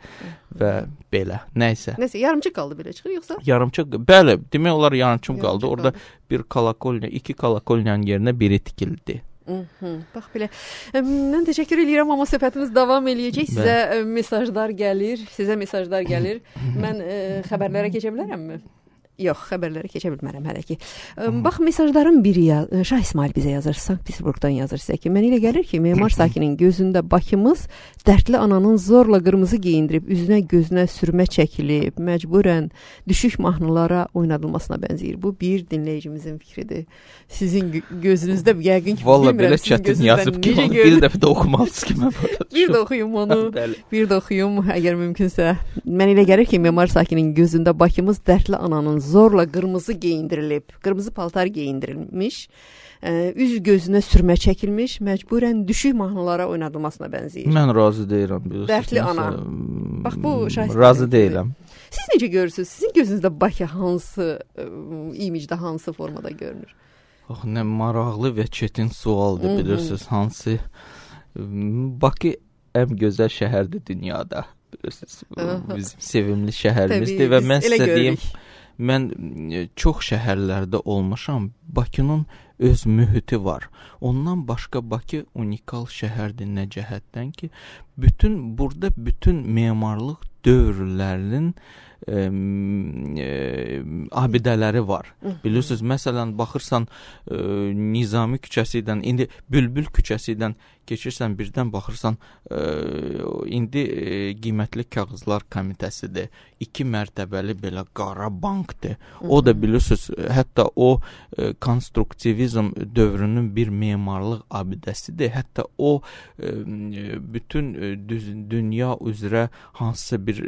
və belə, nəysə. Nəysə, yarımçıq qaldı belə çıxır, yoxsa? Yarımçıq, bəli, demək olar yarımçıq qaldı, orada bir kolakolnya, iki kolakolyanın yerinə biri tikildi. Hı-hı. Bax belə. Mən təşəkkür edirəm, amma söhbətimiz davam eləyəcək. Sizə ə, mesajlar gəlir, sizə mesajlar gəlir. Mən ə, xəbərlərə keçə bilərəmmi? Yox, xəbərlərə keçə bilmərəm hələ ki. Bax, mesajların biri ya, Şah İsmail bizə yazır, Sankt-Peterburqdan yazır sizə ki, mənə elə gəlir ki, memar sakinin gözündə Bakımız dərdli ananın zorla qırmızı geyindirib, üzünə gözünə sürmə çəkilib, məcburən düşük mahnılara oynadılmasına bənzəyir. Bu bir dinləyicimizin fikridir. Sizin gözünüzdə yəqin ki, Vallahi bilmirəm, sizin gözünüzdən yazıb ki, onu bir dəfə də oxumalısınız ki, mən bir də oxuyum onu, bir də oxuyum, əgər mümkünsə. Mənə elə gəlir ki, memar sakinin gözündə Bakımız dərdli ananın zorla qırmızı geyindirilib, qırmızı paltar geyindirilmiş, ə, üz gözünə sürmə çəkilmiş, məcburən düşük mahnılara oynadılmasına bənzəyir. Mən razı deyirəm. Dərdli ana. Bax, bu şahid. Razı deyiləm. Siz necə görürsünüz? Sizin gözünüzdə Bakı hansı ə, imicdə, hansı formada görünür? Ax, nə maraqlı və çətin sualdır, bilirsiniz, hansı Bakı ən gözəl şəhərdir dünyada, bilirsiniz, bizim sevimli şəhərimizdir və mən sizə deyim, mən çox şəhərlərdə olmuşam, Bakının öz mühiti var. Ondan başqa Bakı unikal şəhərdir nə cəhətdən ki, bütün burada bütün memarlıq dövrlərinin e, e, abidələri var. Bilirsiniz, məsələn, baxırsan e, Nizami küçəsindən, indi Bülbül küçəsindən keçirsən, birdən baxırsan, e, indi e, qiymətli kağızlar komitəsidir. İki mərtəbəli belə qara bankdır. O da bilirsiniz, hətta o e, konstruktivizm dövrünün bir memarlıq abidəsidir. Hətta o e, bütün e, düz, dünya üzrə hansısa bir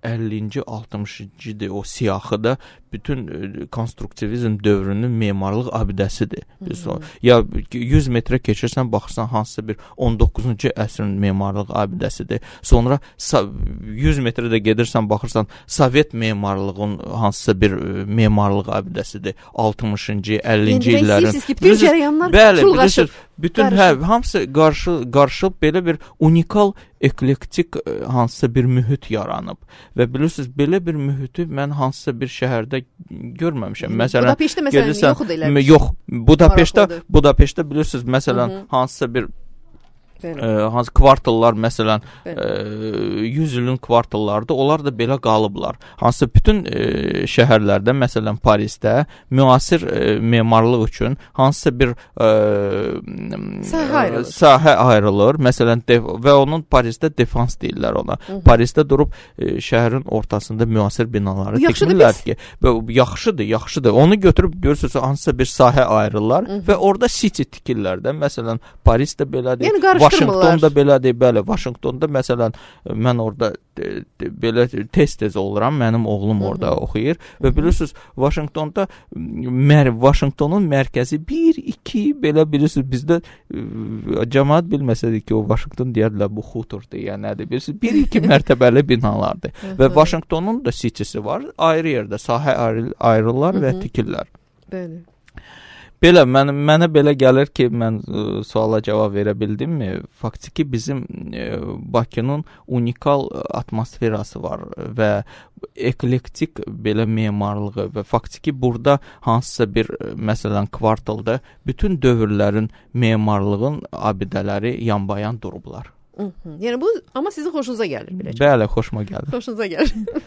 əllinci altmışıncıdır o siyahıda bütün e, konstruktivizm dövrünün memarlıq abidəsidir. Hı-hı. Ya yüz metrə keçirsən, baxırsan hansısa bir on doqquzuncu əsrin memarlıq abidəsidir. Sonra yüz metrə də gedirsən, baxırsan Sovet memarlığın hansısa bir e, memarlıq abidəsidir. altmışıncı, əllinci illərin. Bütün cərəyanlar çulğaşıb. Bütün hə, hamısı qarşı qarışıb belə bir unikal eklektik hansısa bir mühit yaranıb və bilirsiniz, belə bir mühiti mən hansısa bir şəhərdə görməmişəm. Məsələn, Budapeştdə məsələn yoxdur elə. Yox, Budapeştdə, Budapeştdə bilirsiniz, məsələn, Hı-hı. hansısa bir E, hansı kvartallar, məsələn, e, yüz ilin kvartallardır, onlar da belə qalıblar. Hansı bütün e, şəhərlərdə, məsələn, Parisdə müasir e, memarlıq üçün hansısa bir e, sahə ayrılır. Sahə ayrılır. Məsələn, def- və onun Parisdə defans deyirlər ona. Hı-hı. Parisdə durub e, şəhərin ortasında müasir binaları tikmirlər ki, yaxşıdır, yaxşıdır. Onu götürüb görürsünüz, hansısa bir sahə ayrılırlar Hı-hı. və orada city tikirlər də. Məsələn, Parisdə belədir. Yəni, Vaşinqtonda belədir, bəli, Vaşinqtonda məsələn, mən orada de, de, belə tez-tez oluram, mənim oğlum orada Hı-hı. oxuyur və bilirsiniz, Vaşinqtonda mər Vaşinqtonun mərkəzi bir iki belə bilirsiniz, bizdə ə, cəmaət bilməsədir ki, o Vaşinqton deyərlər, bu xuturdur, ya nədir, bilirsiniz, bir iki mərtəbəli binalardır və Vaşinqtonun da citysi var, ayrı yerdə sahə ayrı, ayrılırlar və tikirlər. Bəli. Belə, mən, mənə belə gəlir ki, mən ə, suala cavab verə bildimmi? Faktiki bizim ə, Bakının unikal atmosferası var və eklektik belə memarlığı və faktiki burada hansısa bir, məsələn, kvartalda bütün dövrlərin memarlığın abidələri yanbayan durublar. Hı-hı. Yəni bu amma sizin xoşunuza gəlir beləcə. Bəli, xoşuma gəlir. Xoşunuza gəlir.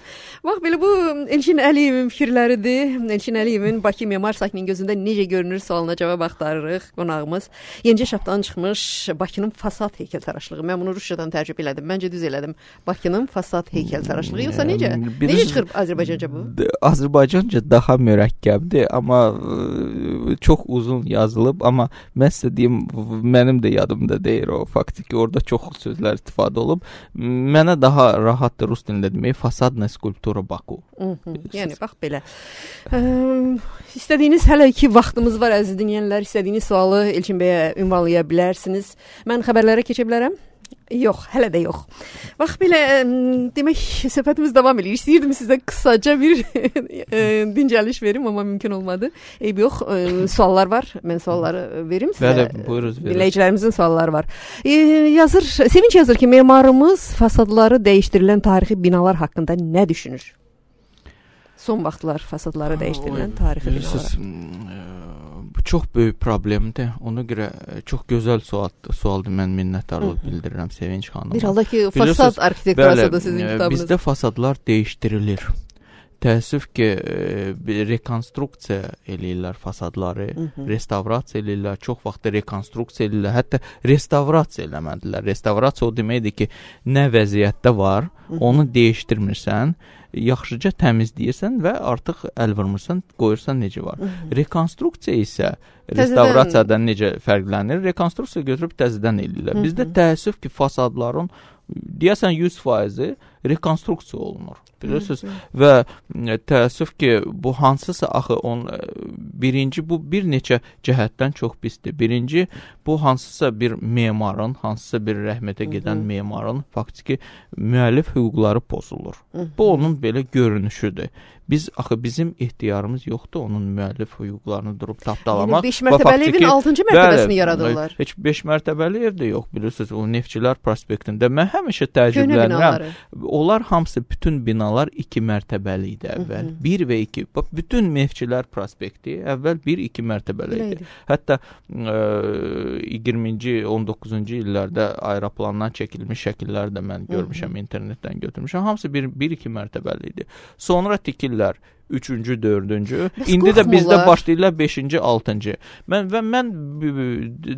Bax belə bu Elçin Əliyevin fikirləridir. Elçin Əliyevin Bakı memar sakinin gözündə necə görünür sualına cavab axtarırıq. Qonağımız yenicə şapdan çıxmış Bakının fasad heykəltaraşlığı. Mən bunu Rusiyadan tərcümə elədim. Məncə düz elədim. Bakının fasad heykəltaraşlığı. Yoxsa necə? Bir, necə çıxır Azərbaycanca bu? Azərbaycanca daha mürəkkəbdir, amma ə, çox uzun yazılıb, amma mən sizə deyim, mənim də yadımda deyil o. Faktiki orada çox sözlər istifadə olub. Mənə daha rahatdır rus dilində demək, fasadna skulptura Baku. Hı-hı. Yəni bax belə. Ə, istədiyiniz hələ ki vaxtımız var əziz dinləyənlər, istədiyiniz sualı Elçin bəyə ünvanlaya bilərsiniz. Mən xəbərlərə keçə bilərəm? Yox, hələ də yox. Bax belə, demək söhbətimiz davam edir. İstəyirdim sizə qısaca bir dincəliş verim, amma mümkün olmadı. Eyb yox, suallar var. Mən sualları verim sizə. Bəli, buyuruz, buyuruz. Dinləyicilərimizin sualları var. E, yazır, Sevinç yazır ki, memarımız fasadları dəyişdirilən tarixi binalar haqqında nə düşünür? Son vaxtlar fasadları dəyişdirilən tarixi binalar. Bu çox böyük problemdir. Ona görə çox gözəl sual, sualdır. Mən minnətdarlıq bildirirəm Sevinç xanıma. Bir halda ki, fasad arxitekturası da sizin kitabınız. Bizdə fasadlar dəyişdirilir. Təəssüf ki, e, rekonstruksiya eləyirlər fasadları, Hı-hı. restavrasiya eləyirlər, çox vaxt rekonstruksiya eləyirlər, hətta restavrasiya eləmədilər. Restavrasiya o deməkdir ki, nə vəziyyətdə var, Hı-hı. onu dəyişdirmirsən, yaxşıca təmizləyirsən və artıq əl vurmursan, qoyursan necə var. Hı-hı. Rekonstruksiya isə restavrasiyadan necə fərqlənir? Rekonstruksiya götürüb təzədən eləyirlər. Hı-hı. Bizdə təəssüf ki, fasadların deyəsən yüz faizi rekonstruksiya olunur. Bilirsiniz? Və təəssüf ki, bu hansısa axı on birinci bu bir neçə cəhətdən çox pisdir. Birinci bu hansısa bir memarın, hansısa bir rəhmətə gedən Hı-hı. memarın faktiki müəllif hüquqları pozulur. Hı-hı. Bu onun belə görünüşüdür. Biz axı bizim ixtiyarımız yoxdur onun müəllif hüquqlarını durub tapdalamaq. Yəni beş mərtəbəli evin altıncı mərtəbəsini yaradırlar. Heç beş mərtəbəli ev də yox, bilirsiniz, o Neftçilər prospektində. Mən həmişə təəccüblənirəm. Onlar hamısı bütün binalar iki mərtəbəli idi əvvəl. bir və iki. Bax bütün Neftçilər prospekti əvvəl bir iki mərtəbəli idi. Hətta ə, iyirminci on doqquzuncu illərdə aeroplandan çəkilmiş şəkillər də mən görmüşəm, internetdən götürmüşəm. Hamısı bir bir iki mərtəbəli idi. Sonra tikirlər üçüncü, dördüncü. İndi də bizdə başlayırlar beşinci, altıncı. Mən və mən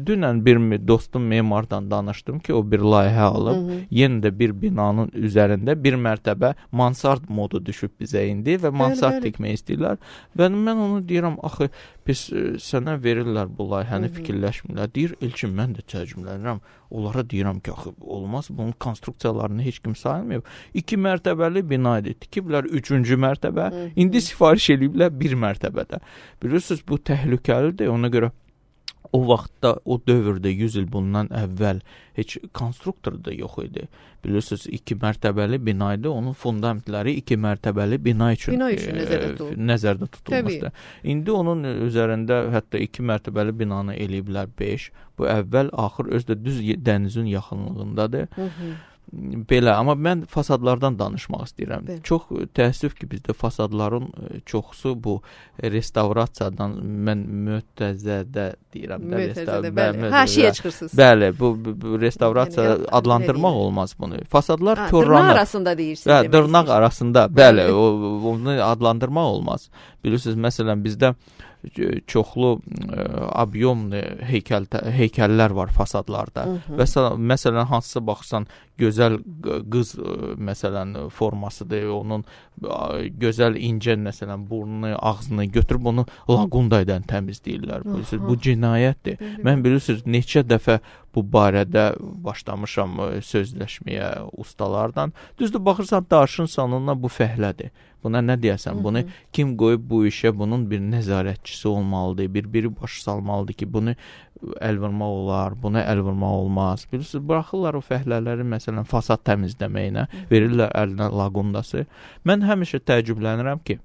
dünən bir dostum memardan danışdım ki, o bir layihə alıb, hı -hı. yenə də bir binanın üzərində bir mərtəbə mansard modu düşüb bizə indi və mansard tikmək istəyirlər. Və mən onu deyirəm, axı biz sənə verirlər bu layihəni, fikirləşmirlər. Deyir, Elçin, mən də təəccüblənirəm. Onlara deyirəm ki, axı olmaz, bunun konstruksiyalarını heç kim sayılmıyor. İki mərtəbəli bina idi. Tikiblər üçüncü mərtəbə. Hı -hı. İndi sifariş ediblər bir mərtəbədə. Bilirsiniz, bu təhlükəlidir. Ona görə o vaxtda, o dövrdə yüz il bundan əvvəl heç konstruktor da yox idi. Bilirsiniz, iki mərtəbəli bina idi. Onun fundamentləri iki mərtəbəli bina üçün, bina üçün e, nəzərdə, tutulur. nəzərdə tutulmuşdu. İndi onun üzərində hətta iki mərtəbəli binanı eləyiblər beş. Bu əvvəl axır özdə düz dənizin yaxınlığındadır. Hı -hı. Belə, amma mən fasadlardan danışmaq istəyirəm. Bəli. Çox təəssüf ki, bizdə fasadların çoxusu bu restavrasiyadan, mən mütəzzədə deyirəm. Mütəzzədə, bəli. Haşiyə çıxırsınız. Bəli, bu, bu restavrasiya yəni, adlandırmaq olmaz bunu. Fasadlar ha, korlanır. Dırnaq arasında deyirsiniz. Hə, dırnaq arasında, bəli, o, onu adlandırmaq olmaz. Bilirsiniz, məsələn, bizdə çoxlu ə, obyomlu heykəl, heykəllər var fasadlarda. Hı -hı. Və məsələn, hansısa baxırsan, gözəl qız ə, məsələn formasıdır, onun ə, gözəl incə məsələn burnunu, ağzını götürüb onu laqundaydan təmizləyirlər. Bilirsiniz, bu cinayətdir. Hı -hı. Mən bilirsiniz, neçə dəfə bu barədə başlamışam sözləşməyə ustalardan. Düzdür, baxırsan daşın sonuna bu fəhlədir. Buna nə deyəsən? Bunu kim qoyub bu işə? Bunun bir nəzarətçisi olmalıdır, bir biri baş salmalıdır ki, bunu əl vurmaq olar, buna əl vurmaq olmaz. Bilirsiniz, buraxırlar o fəhlələri məsələn fasad təmizləməyinə, verirlər əlinə laqundası. Mən həmişə təəccüblənirəm ki,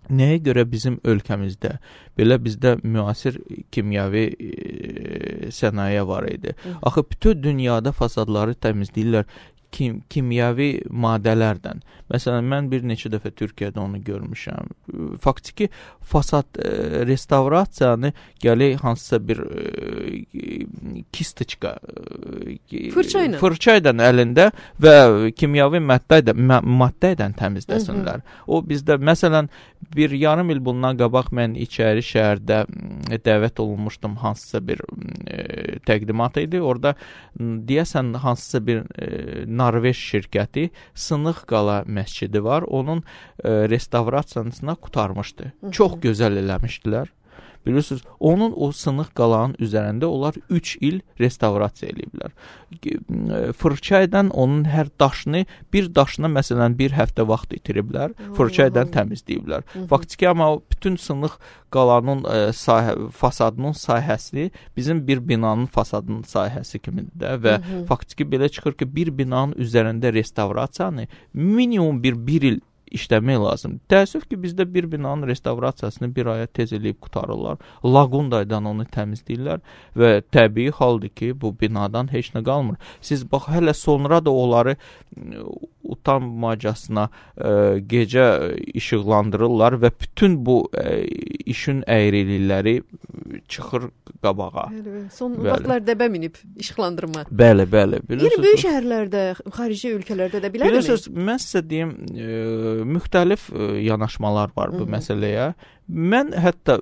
nəyə görə bizim ölkəmizdə, belə bizdə müasir kimyəvi e, sənaye var idi. Axı bütün dünyada fasadları təmizləyirlər kim, kimyəvi maddələrdən. Məsələn, mən bir neçə dəfə Türkiyədə onu görmüşəm. Faktiki fasad e, restavrasiyanı gələk hansısa bir e, kistiçka e, fırça ilə fırça ilə əlində və kimyəvi maddə ilə maddə ilə təmizləsinlər. Hı -hı. O bizdə məsələn bir yarım il bundan qabaq mən içəri şəhərdə dəvət olunmuşdum, hansısa bir e, təqdimat idi. Orada deyəsən hansısa bir e, Norveç şirkəti Sınıq Qala məscidi var. Onun e, restavrasiyasına qurtarmışdı. Hı -hı. Çox gözəl eləmişdilər. Bilirsiniz, onun o Sınıq Qalanın üzərində onlar üç il restavrasiya eləyiblər. Fırça ilə onun hər daşını, bir daşına məsələn bir həftə vaxt itiriblər, fırça ilə təmizləyiblər. Faktiki amma bütün Sınıq Qalanın e, sahə, fasadının sahəsi bizim bir binanın fasadının sahəsi kimidir də və hı -hı. faktiki belə çıxır ki, bir binanın üzərində restavrasiyanı minimum bir bir il işləmək lazım. Təəssüf ki, bizdə bir binanın restavrasiyasını bir aya tez eləyib qutarırlar. Laqundaydan onu təmizləyirlər və təbii haldır ki, bu binadan heç nə qalmır. Siz bax, hələ sonra da onları utanmacasına e, gecə işıqlandırırlar və bütün bu e, işin əyrilikləri çıxır qabağa. Bəli, son bəli. Vaxtlar dəbə minib işıqlandırma. Bəli, bəli. Yəni böyük şəhərlərdə, xarici ölkələrdə də belədirmi? Bilirsiniz, mən sizə deyim, e, müxtəlif e, yanaşmalar var bu Hı -hı. məsələyə. Mən hətta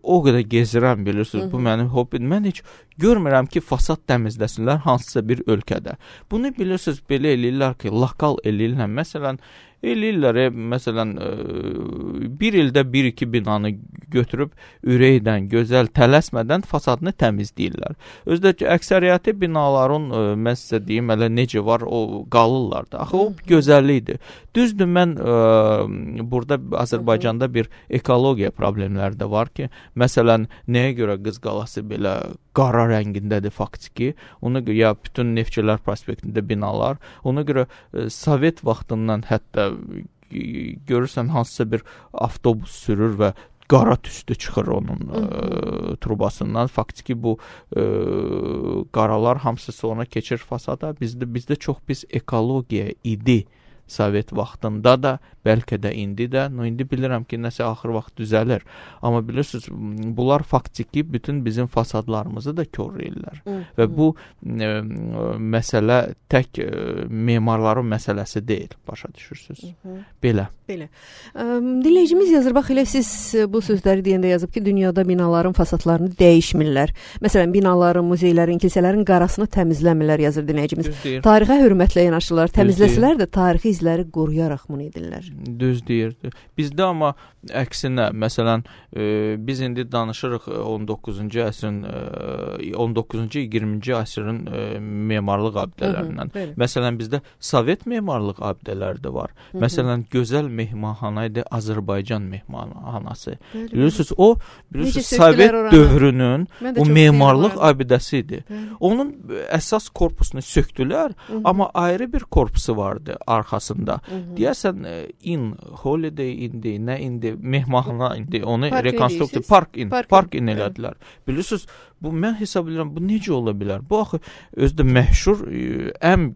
o qədər gezirəm, bilirsiniz, Hı -hı. bu mənim hobbim. Mən heç görmürəm ki, fasad təmizləsinlər hansısa bir ölkədə. Bunu bilirsiniz, belə eləyirlər ki, lokal eləyirlər. Məsələn, eləyirlər, e, məsələn, e, bir ildə bir iki binanı götürüb ürəkdən, gözəl, tələsmədən fasadını təmizləyirlər. Özdə ki, əksəriyyəti binaların, e, mən sizə deyim, hələ necə var, o qalırlar da. Axı, o gözəllikdir. Düzdür, mən e, burada Azərbaycanda bir ekologiya problemləri də var ki, məsələn, nəyə görə Qız Qalası belə qara rəngindədir faktiki, ona görə ya bütün Neftçilər prospektində binalar, ona görə e, Sovet vaxtından hətta görürsən hansısa bir avtobus sürür və qara tüstü çıxır onun ə, trubasından. Faktiki bu ə, qaralar hamısı sonra keçir fasada. Bizdə bizdə çox pis ekologiya idi. Sovet vaxtında da, bəlkə də indi də. No, indi bilirəm ki, nəsə axır vaxt düzəlir. Amma bilirsiniz, bunlar faktiki bütün bizim fasadlarımızı da korlayırlar. Hı, və hı. bu ə, məsələ tək ə, memarların məsələsi deyil, başa düşürsünüz. Hı, hı. Belə. Belə. Ə, dinləyicimiz yazır, bax elə siz bu sözləri deyəndə yazıb ki, dünyada binaların fasadlarını dəyişmirlər. Məsələn, binaların, muzeylərin, kilsələrin qarasını təmizləmirlər, yazır dinləyicimiz. Tarixə hörmətlə yanaşırlar. Təmizləsələr də tarixi izləri qoruyaraq bunu edirlər. Düz deyirdi. Bizdə amma əksinə, məsələn, e, biz indi danışırıq on doqquzuncu əsrin, e, on doqquzuncu iyirminci əsrin e, memarlıq abidələrindən. Hı -hı, məsələn, bizdə Sovet memarlıq abidələri də var. Hı -hı. Məsələn, gözəl mehmanxana idi Azərbaycan mehmanxanası. Bilirsiniz, o bilirsiniz, Sovet dövrünün o memarlıq abidəsi idi. Bəli. Onun əsas korpusunu söktülər, Hı -hı. amma ayrı bir korpusu vardı arxasında. Hı -hı. Deyəsən, in, holiday indi, nə indi, mehmanxana indi, onu rekonstruksiya, park in, park, park in elədilər. Bilirsiniz, bu mən hesab edirəm, bu necə ola bilər? Bu axı özdə məşhur, ən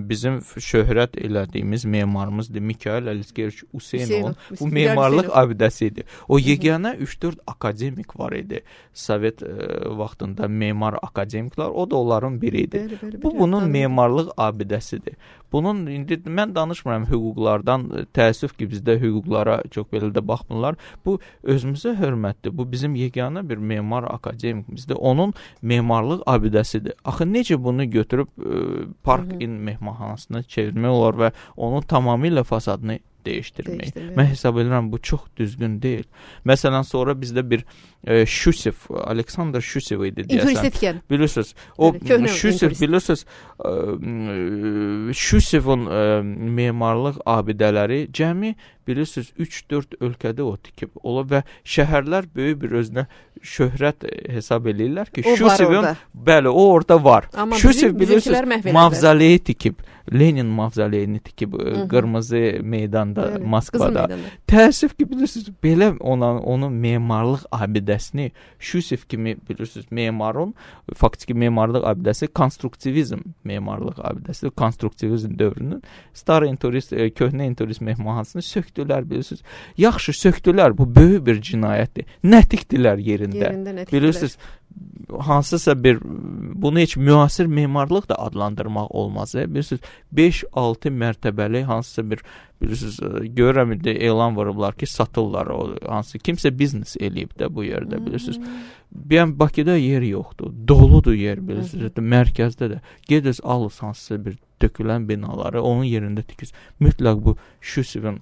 bizim şöhrət elədiyimiz memarımızdır, Mikhail Alekseyevich Usenov. Bu memarlıq abidəsi idi. O yeganə üç dörd akademik var idi. Sovet e, vaxtında memar akademiklər, o da onların biri idi. Bəli, bəli, bu bunun bəli. memarlıq abidəsidir. Bunun indi mən danışmıram hüquqlardan, təəssüf ki, bizdə hüquqlara çox belə də baxmırlar. Bu özümüzə hörmətdir. Bu bizim yeganə bir memar akademikimizdir. Onun memarlıq abidəsidir. Axı necə bunu götürüb e, park Hı -hı. in mehmanxanasına çevirmək olar və onun tamamilə fasadını dəyişdirmək. Dəyişdirmək. Mən hesab edirəm, bu çox düzgün deyil. Məsələn, sonra bizdə bir e, Şusev, Aleksandr Şusev idi deyəsən. Bilirsiniz, o evet, Şusev, bilirsiniz, e, Şusevin e, memarlıq abidələri cəmi, bilirsiniz, üç dörd ölkədə o tikib olub və şəhərlər böyük bir özünə şöhrət hesab eləyirlər ki, Şusevin, bəli, o orada var. Amma Şusev, bilirsiniz, mavzoleyi tikib, Lenin mavzoleyini tikib, Hı -hı. qırmızı meydanda, bəli, Moskvada. Təəssüf ki, bilirsiniz, belə ona, onun memarlıq abidəsini Şusev kimi, bilirsiniz, memarın, faktiki memarlıq abidəsi konstruktivizm memarlıq abidəsi, konstruktivizm dövrünün Stara Inturist, köhnə Inturist mehmanxanasını söktülər, bilirsiniz. Yaxşı, söktülər, bu böyük bir cinayətdir. Nətikdilər yerində. Yerində nətikdilər. Bilirsiniz, hansısa bir, bunu heç müasir memarlıq da adlandırmaq olmaz. E? Bilirsiniz, beş altı mərtəbəli hansısa bir, bilirsiniz, görürəm indi elan vurublar ki, satırlar o, hansı, kimsə biznes eləyib də bu yerdə, bilirsiniz. Yəni, Bakıda yer yoxdur, doludur yer, bilirsiniz, mərkəzdə də. Gediniz, alız hansısa bir dökülən binaları, onun yerində tikiz. Mütləq bu Şusevin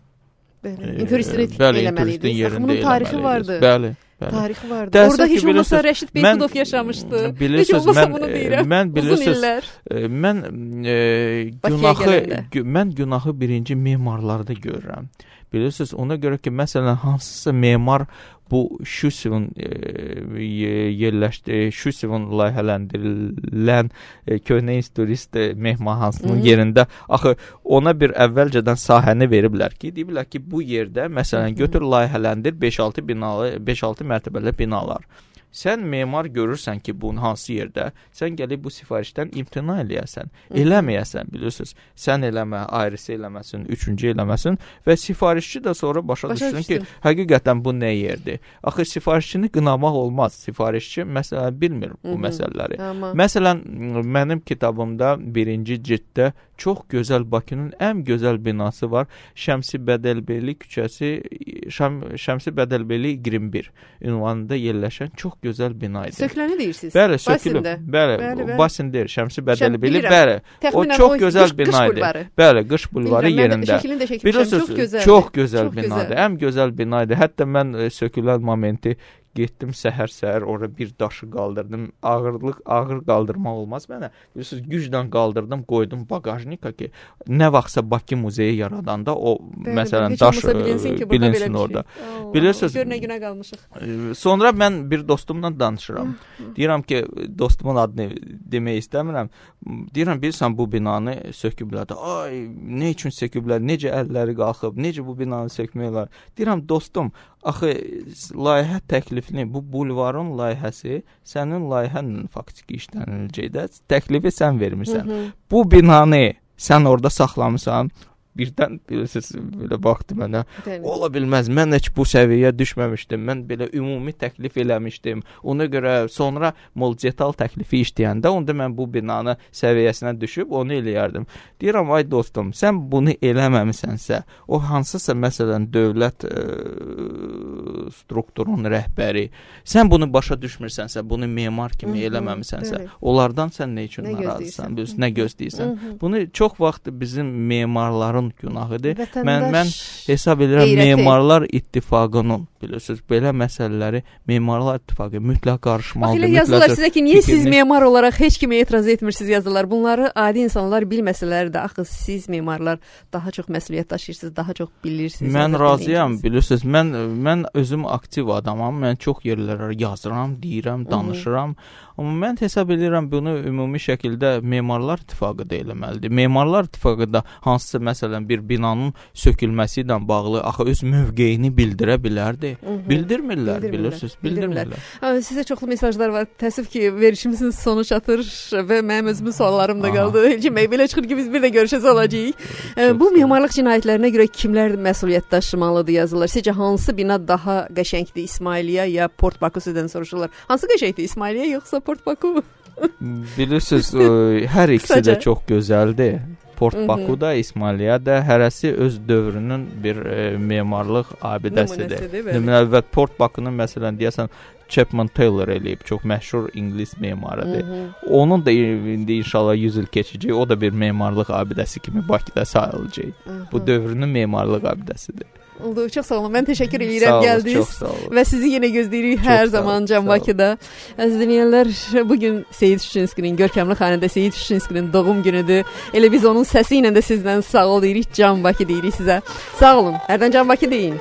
inturistik eləməliydi. Bunun tarixi vardı. Bəli. Tarixi vardı. Dərsək Orada heç olmasa Rəşid Beykudov yaşamışdı. Heç olmasa bunu deyirəm. Mən bilirsiniz, mən e, günahı, mən günahı birinci memarlarda görürəm. Bilirsiniz, ona görə ki, məsələn, hansısa memar bu Şusevin e, yerləşdi, Şusevin layihələndirilən e, köhnə turist mehmanxanasının yerində axı ona bir əvvəlcədən sahəni veriblər ki, deyiblər ki, bu yerdə məsələn götür layihələndir beş altı binalı, beş altı mərtəbəli binalar. Sən memar görürsən ki, bunun hansı yerdə, sən gəlib bu sifarişdən imtina eləyəsən, eləməyəsən, bilirsiniz. Sən eləmə, ayrısı eləməsin, üçüncü eləməsin və sifarişçi də sonra başa, başa düşsün ki, həqiqətən bu nə yerdir. Axı sifarişçini qınamaq olmaz. Sifarişçi məsələn bilmir bu Hı -hı. məsələləri. Amma. Məsələn, mənim kitabımda birinci cilddə çox gözəl Bakının ən gözəl binası var. Şəmsi Bədəlbeyli küçəsi, Şəm, Şəmsi Bədəlbeyli iyirmi bir ünvanında yerləşən çox gözəl bina idi. Söküləni deyirsiniz? Bəli, sökülüb. Bəli, bəli, Basindir, Şəmsi Bədəlbeyli, bəli. O çox gözəl bina idi. Bəli, qış bulvarı yerində. Bilirsiniz, çox gözəl binadır. Ən gözəl bina idi. Hətta mən sökülən momenti getdim səhər-səhər ora bir daşı qaldırdım. Ağırlıq, ağır qaldırmaq olmaz mənə. Bilirsiniz, güclə qaldırdım, qoydum baqajnika ki, nə vaxtsa Bakı muzeyi yaradanda o bəli, məsələn daş bilinsin, ki, bilinsin orada. Şey. Bilirsiniz, gör nə günə qalmışıq. Sonra mən bir dostumla danışıram. Deyirəm ki, dostumun adını demək istəmirəm. Deyirəm, bilirsən bu binanı söküblər. Ay, nə üçün söküblər? Necə əlləri qalxıb? Necə bu binanı sökmək olar? Deyirəm, dostum, axı layihə təklifini, bu bulvarın layihəsi sənin layihənlə faktiki işləniləcəkdə. Təklifi sən vermirsən. Hı -hı. Bu binanı sən orada saxlamısan. Birdən bilirsiniz, belə baxdı mənə. Ola bilməz, mən heç bu səviyyəyə düşməmişdim. Mən belə ümumi təklif eləmişdim. Ona görə sonra multidetal təklifi işləyəndə onda mən bu binanı səviyyəsinə düşüb onu eləyərdim. Deyirəm, ay dostum, sən bunu eləməmisənsə, o hansısa məsələn dövlət ə, strukturun rəhbəri, sən bunu başa düşmürsənsə, bunu memar kimi eləməmisənsə, Hı -hı, onlardan sən nə üçün narazısan, nə gözləyirsən? Bunu çox vaxt bizim memarların günahıdır. Mən mən hesab edirəm qeyrəti. Memarlar İttifaqının, bilirsiniz, belə məsələləri Memarlar İttifaqı mütləq qarışmalıdır. Bax, yazırlar sizə ki, niyə fikrini... siz memar olaraq heç kimə etiraz etmirsiniz yazırlar. Bunları adi insanlar bilməsələr də, axı siz memarlar daha çox məsuliyyət daşıyırsınız, daha çox bilirsiniz. Mən razıyam, bilirsiniz. Mən mən özüm aktiv adamam. Mən çox yerlərə yazıram, deyirəm, danışıram. Hı -hı. Amma mən hesab edirəm bunu ümumi şəkildə Memarlar İttifaqı da eləməlidir. Memarlar İttifaqı da hansısa məsələn bir binanın sökülməsi ilə bağlı axı öz mövqeyini bildirə bilərdi. Hı -hı. Bildirmirlər, bildirmirlər, bilirsiniz, bildirmirlər. bildirmirlər. Sizə çoxlu mesajlar var. Təəssüf ki, verişimizin sonu çatır və mənim özümün suallarım da qaldı. Elçin bəy, belə çıxır ki, biz bir də görüşəcək olacağıq. Bu memarlıq cinayətlərinə görə kimlər məsuliyyət daşımalıdır yazırlar. Sizcə hansı bina daha qəşəngdir, İsmailiyyə ya Port Bakusu'dan soruşurlar. Hansı qəşəngdir, İsmailiyyə yoxsa Port Baku? Bilirsiniz, hər ikisi də çox gözəldir. Port Baku'da, İsmailiyədə hərəsi öz dövrünün bir e, memarlıq abidəsidir. Nümunə və Port Baku'nun məsələn deyəsən Chapman Taylor eləyib, çox məşhur İngilis memarıdır. Hı -hı. Onun da indi inşallah yüz il keçəcək, o da bir memarlıq abidəsi kimi Bakıda sayılacaq. Hı -hı. Bu dövrünün memarlıq abidəsidir. Oldu, çox sağ olun. Mən təşəkkür edirəm gəldiniz və sizi yenə gözləyirik hər zaman Can Bakıda. Əziz dinləyənlər, bugün Seyid Şuşinskinin, görkəmli xanəndə Seyid Şuşinskinin doğum günüdür. Elə biz onun səsi ilə də sizdən sağ ol deyirik, Can Bakı deyirik sizə. Sağ olun. Hərdən Can Bakı deyin.